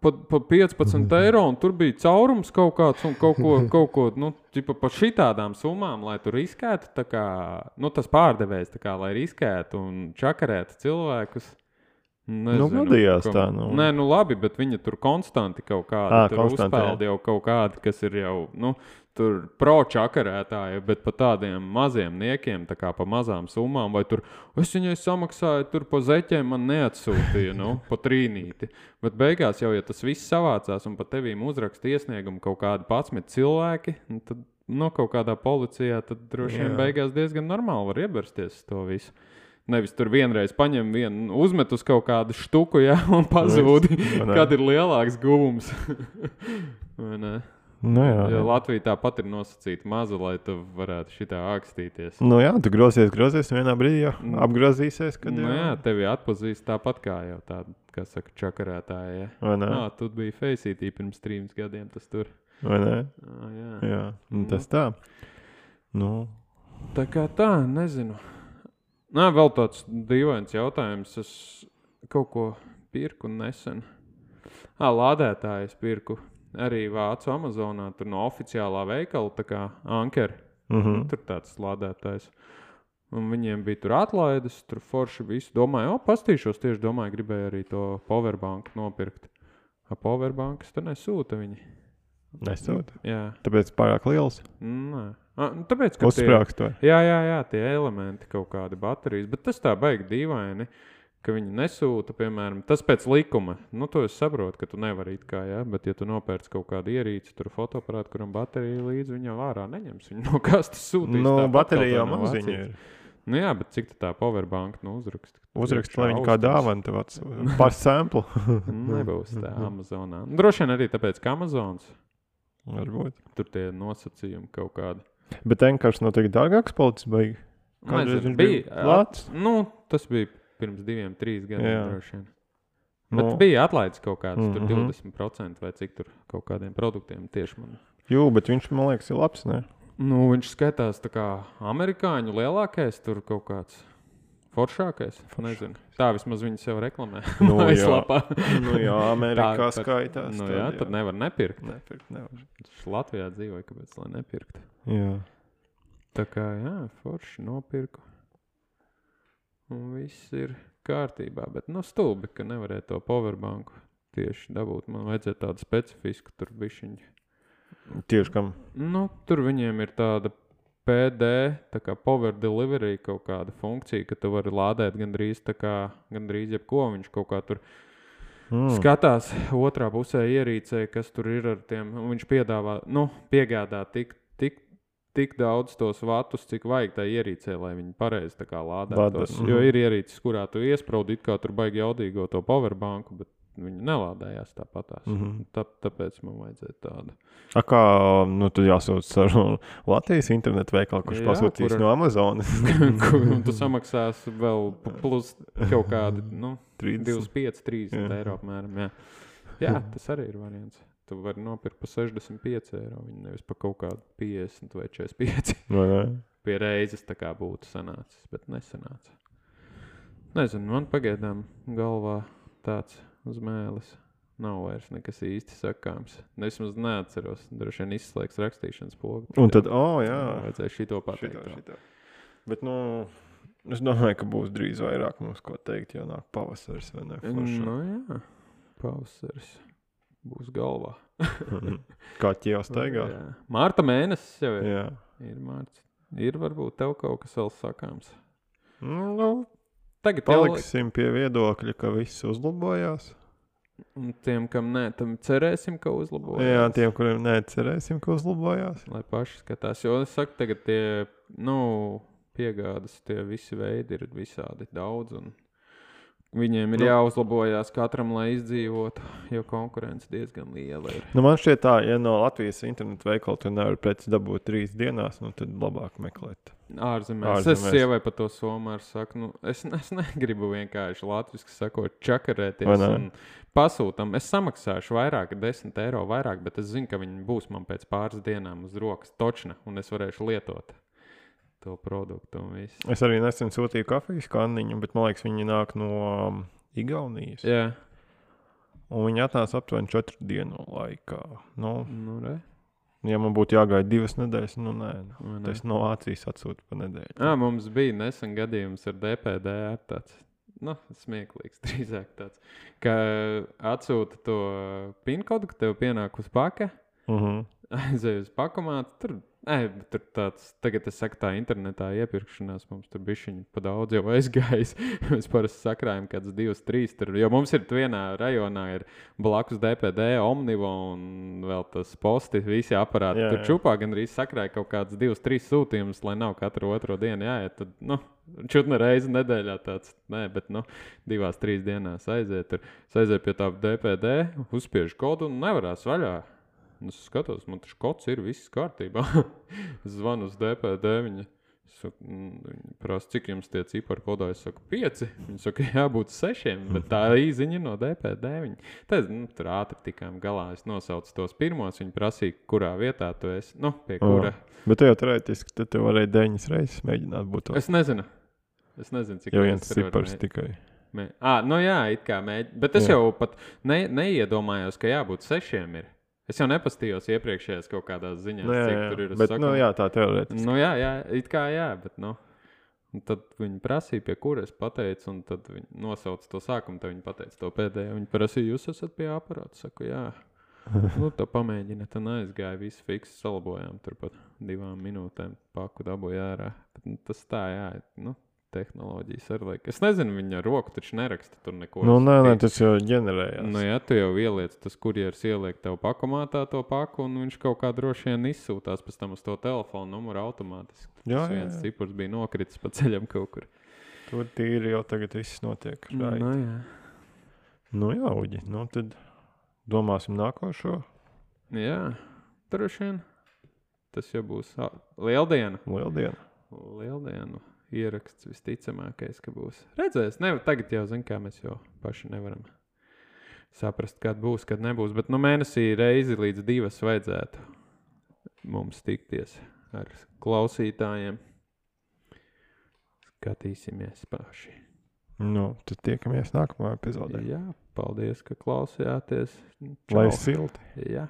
pa, pa piecpadsmit eiro, un tur bija caurums kaut kāds, un kaut ko, kaut ko nu, ķipa, pa šitādām summām, lai tur riskētu, tā kā, nu, tas pārdevējs, tā kā, lai riskētu un čakarētu cilvēkus. Nezinu, nu, gadījās kam... tā, nu. Nē, nu labi, bet viņi tur konstanti kaut kādi, à, tur uzpeld jau kaut kādi, kas ir jau, nu, tur pro-čakarētāji, bet pa tādiem maziem niekiem, tā kā pa mazām summām, vai tur, es viņai samaksāju, tur pa zeķiem man neatsūtīja, nu, pa trīnīti. Bet beigās jau, ja tas viss savācās un pa tevīm uzraksta iesniegumu kaut kādi patsmit cilvēki, tad, nu, kaut kādā policijā, tad droši vien beigās diezgan normāli var iebersties to visu. Nevis tur vienreiz paņem vienu, uzmet uz kaut kādu štuku, ja, un pazūdi, kad ir lielāks guvums. Vai ne? Nu jā, jo Latvija tāpat ir nosacīta maza, lai tu varētu šitā ākstīties. Nu jā, tu grozies, grozies, vienā brīdī jau apgrozīsies, kad nu jau... jā, tevi atpazīst tāpat kā jau tāda, kā saka, čakarētāja. Ja. Vai ne? Nā, tu biji Faceitī pirms trīs gadiem tas tur. Vai ne? Ā, jā. Jā, un tas tā. Nu. Tā kā tā, nezinu. Nā, vēl tāds dīvains jautājums. Es kaut ko pirku nesen. Ā, lādētājs pirku. Arī vācu Amazonā, tur no oficiālā veikala, tā kā Anker. Mm-hmm. Tur tāds lādētājs. Un viņiem bija tur atlaides, tur forši visu. Domāju, o, pastīšos tieši, domāju, gribēju arī to powerbanku nopirkt. A powerbankas tur nesūta viņi. Nesūta? Jā. Tāpēc pārāk liels? Nē. A, tāpēc, ka uzsprāgst to. Jā, jā, jā, tie elementi, kaut kādi baterijas. Bet tas tā baigi dīvaini, ka viņi nesūta, piemēram, tas pēc likuma. Nu, to es saprotu, ka tu nevari it kā, jā, bet ja tu nopērc kaut kādu ierīci, tur fotoaparātu, kuram baterija līdzi, viņa vārā neņems. Viņa no kastes sūtīs. Nu, baterija jau maziņa ir. Nu jā, bet cik tā powerbank, nu, uzrakst? Uzrakst, lai viņi kā dāvana tev ats par samplu. Nebūs tā Amazonā. Droši vien arī tāpēc, ka Amazons. Varbūt. Tur tie nosacījumi kaut kādi. Bet vienkārši noteikti dārgāks palicis baigi. Kādreiz viņš bija lāts? Nu, tas bija pirms diviem, trīs gadiem droši vien. Bet nu, bija atlaides kaut kāds, mm-hmm. tur divdesmit procenti vai cik tur kaut kādiem produktiem tieši man. Jū, bet viņš, man liekas, ir labs, ne? Nu, viņš skatās tā kā amerikāņu lielākais, tur kaut kāds foršākais, nezinu. Tā vismaz viņi sev reklamē. Nu jā, nu jā, Amerikā tā, skaitās. Nu jā, tad nevar nepirkt. Nepirkt, nevar. Viņš Latvijā dzīvoja, kāpēc, lai nepirkt. Jā. Tā kā, jā, forši nopirku. Un viss ir kārtībā, bet nu stulbi, ka nevarēja to powerbanku tieši dabūt. Man vajadzēja tādu specifisku tur bišķiņu. Tieši kam? Nu, tur viņiem ir tāda P D, tā kā power delivery kaut kāda funkcija, ka tu vari lādēt gandrīz tā kā, gandrīz jebko, viņš kaut kā tur mm. skatās otrā pusē ierīcē, kas tur ir ar tiem, un viņš piedāvā, nu, piegādā tik, tik, tik daudz tos vatus, cik vajag tā ierīcē, lai viņi pareizi tā kā lādētos. Mm-hmm. Jo ir ierīces, kurā tu iespraudi, it kā tur baigi jaudīgo to powerbanku, bet viņi nelādējās tāpatās. Mm-hmm. Tā, tāpēc man vajadzēja tādu. A kā, nu, tad jāsūc ar Latvijas internetu veikalu, kurš jā, pasūtīs kur... no Amazonas. Kur tu samaksās vēl plus kaut kādi, nu, divdesmit pieci, trīsdesmit eiro apmēram, jā. Jā, tas arī ir variants. Tu vari nopirkt pa sešdesmit pieci eiro, viņi nevis pa kaut kādu piecdesmit vai četrdesmit pieci. Vai ne? Pie reizes tā kā būtu sanācis, bet nesanāca. Nezinu, man pagaidām galvā tāds uz mēles. Nav vairs nekas īsti sakāms. Vismaz neatceros. Droši vien izslēgs rakstīšanas pogu. Un tad, o, oh, jā. Vajadzēja šito pateikt. Šito, šito. Bet, nu, es domāju, ka būs drīz vairāk mums ko teikt, jo nāk pavasaris vai ne? Foršā. Nu, jā. Pavasaris būs galvā. Kā ķieva staigā? Jā. Mārta mēnesis jau ir. Jā. Ir mārts. Ir varbūt tev kaut kas vēl sakāms. Nu, Tagad paliksim jau... pie viedokļa, ka viss uzlabojās. Un tiem, kam nē, tam cerēsim, ka uzlabojās. Jā, tiem, kuriem nē, cerēsim, ka uzlabojās. Lai paši skatās. Jo es saku, tagad tie, nu, piegādas, tie visi veidi ir visādi daudz. Un viņiem ir nu, jāuzlabojās katram, lai izdzīvotu, jo konkurence diezgan liela ir. Nu, man šķiet tā, ja no Latvijas internetu veikala tu nevar preci dabūt trīs dienās, nu, tad labāk meklēt. Ārzemēs. Ārzemēs. Es sievai par to somāru saku, nu, es, es negribu vienkārši latviski sakot čakarēties un pasūtam. Es samaksāšu vairāk, desmit eiro vairāk, bet es zinu, ka viņi būs man pēc pāris dienām uz rokas točna un es varēšu lietot to produktu un visu. Es arī nesen sūtīju kafijas kanniņu, bet man liekas, viņi nāk no um, Igaunijas. Jā. Un viņi atnāca aptuveni četru dienu laikā. Nu, nu re. Ja man būtu jāgaida divas nedēļas, nu nē. Nu, nē. Tas no Vācijas atsūta pa nedēļu. Ā, mums bija nesen gadījums ar D P D ar tāds, nu, smieklīgs drīzāk tāds, ka atsūta to pinkodu, ka tev pienāk uz paka, uh-huh. aizēj uz pakomātu, tur Nē, tur tāds, tagad es saku tā internetā iepirkšanās, mums tur bišķiņi pa daudz jau aizgājis. Mēs parasti sakrājam kāds divas, trīs tur, jo mums ir vienā rajonā ir blakus D P D, Omnivo un vēl tas posti, visi aparāti. Jā, tur jā. Čupā gandrīz sakrāja kaut kāds divas, trīs sūtījumus, lai nav katru otro dienu jāiet. Tad, nu, čutne reizi nedēļā tāds, nē, bet, nu, divās, trīs dienās aiziet. Tur es aizēju pie tā D P D, uzspiežu kodu un nevarās vaļā. Es skatos, man taču kods ir, viss kārtībā. Es zvanu uz D P D, viņa saka, viņa prasa, cik jums tie cipari kodā, es saku, pieci. Viņa saka, jābūt sešiem, bet tā īziņa no D P D. Viņa. Tad, nu, tur ātri tikām galā, es nosaucu tos pirmos, viņa prasīja, kurā vietā tu esi, nu, pie kura. Oh, bet tu jau teorētiski, tad tu varēji deviņas reizes mēģināt būt. Es nezinu. Es nezinu, cik jau viens cipars tikai. Mē... Ā, nu jā, it kā mēģi. Bet es jā. jau pat ne, neiedomājos, ka jābūt sešiem ir. Es jau nepastījos iepriekšējās kaut kādās ziņās, nu, jā, cik tur ir. Bet, saku, nu jā, tā teorētiski. Nu jā, jā, it kā jā, bet, nu. Un tad viņi prasīja, pie kura es pateicu, un tad viņi nosauca to sākumu, tad viņi pateica to pēdējo. Viņi prasīja, jūs esat pie aparāta? Saku, jā. Nu, tā pamēģina, tad aizgāja, visu fiksu salabojām, tur pat divām minūtēm paku dabūja ārā. Bet, nu, tas tā, jā, nu. Tehnoloģijas ar laiku. Es nezinu, viņa ar roku taču neraksta tur neko. Nu, nē, nē, tas jau ģenerējās. Nu, ja tu jau ieliec, tas kurjeris ieliek tev pakomātā to paku, un viņš kaut kā droši vien izsūtās pēc tam uz to telefonu numuru automātiski. Jā, tas viens cipars bija nokritis pa ceļam kaut kur. Tur tīri jau tagad viss notiek. Right. Nu, jā. Nu, jā, Uģi, nu tad domāsim nākošo. Jā, droši vien. Tas jau būs lieldiena. Lieldiena. Lieldiena. Ieraksts visticamākais, ka būs. Redzēs, ne, tagad jau zin, kā mēs jau paši nevaram saprast, kad būs, kad nebūs, bet nu mēnesī reizi līdz divas vajadzētu mums tikties ar klausītājiem. Skatīsimies paši. Nu, tad tiekamies nākamajā epizodē. Jā, paldies, ka klausījāties. Lai silti. Jā.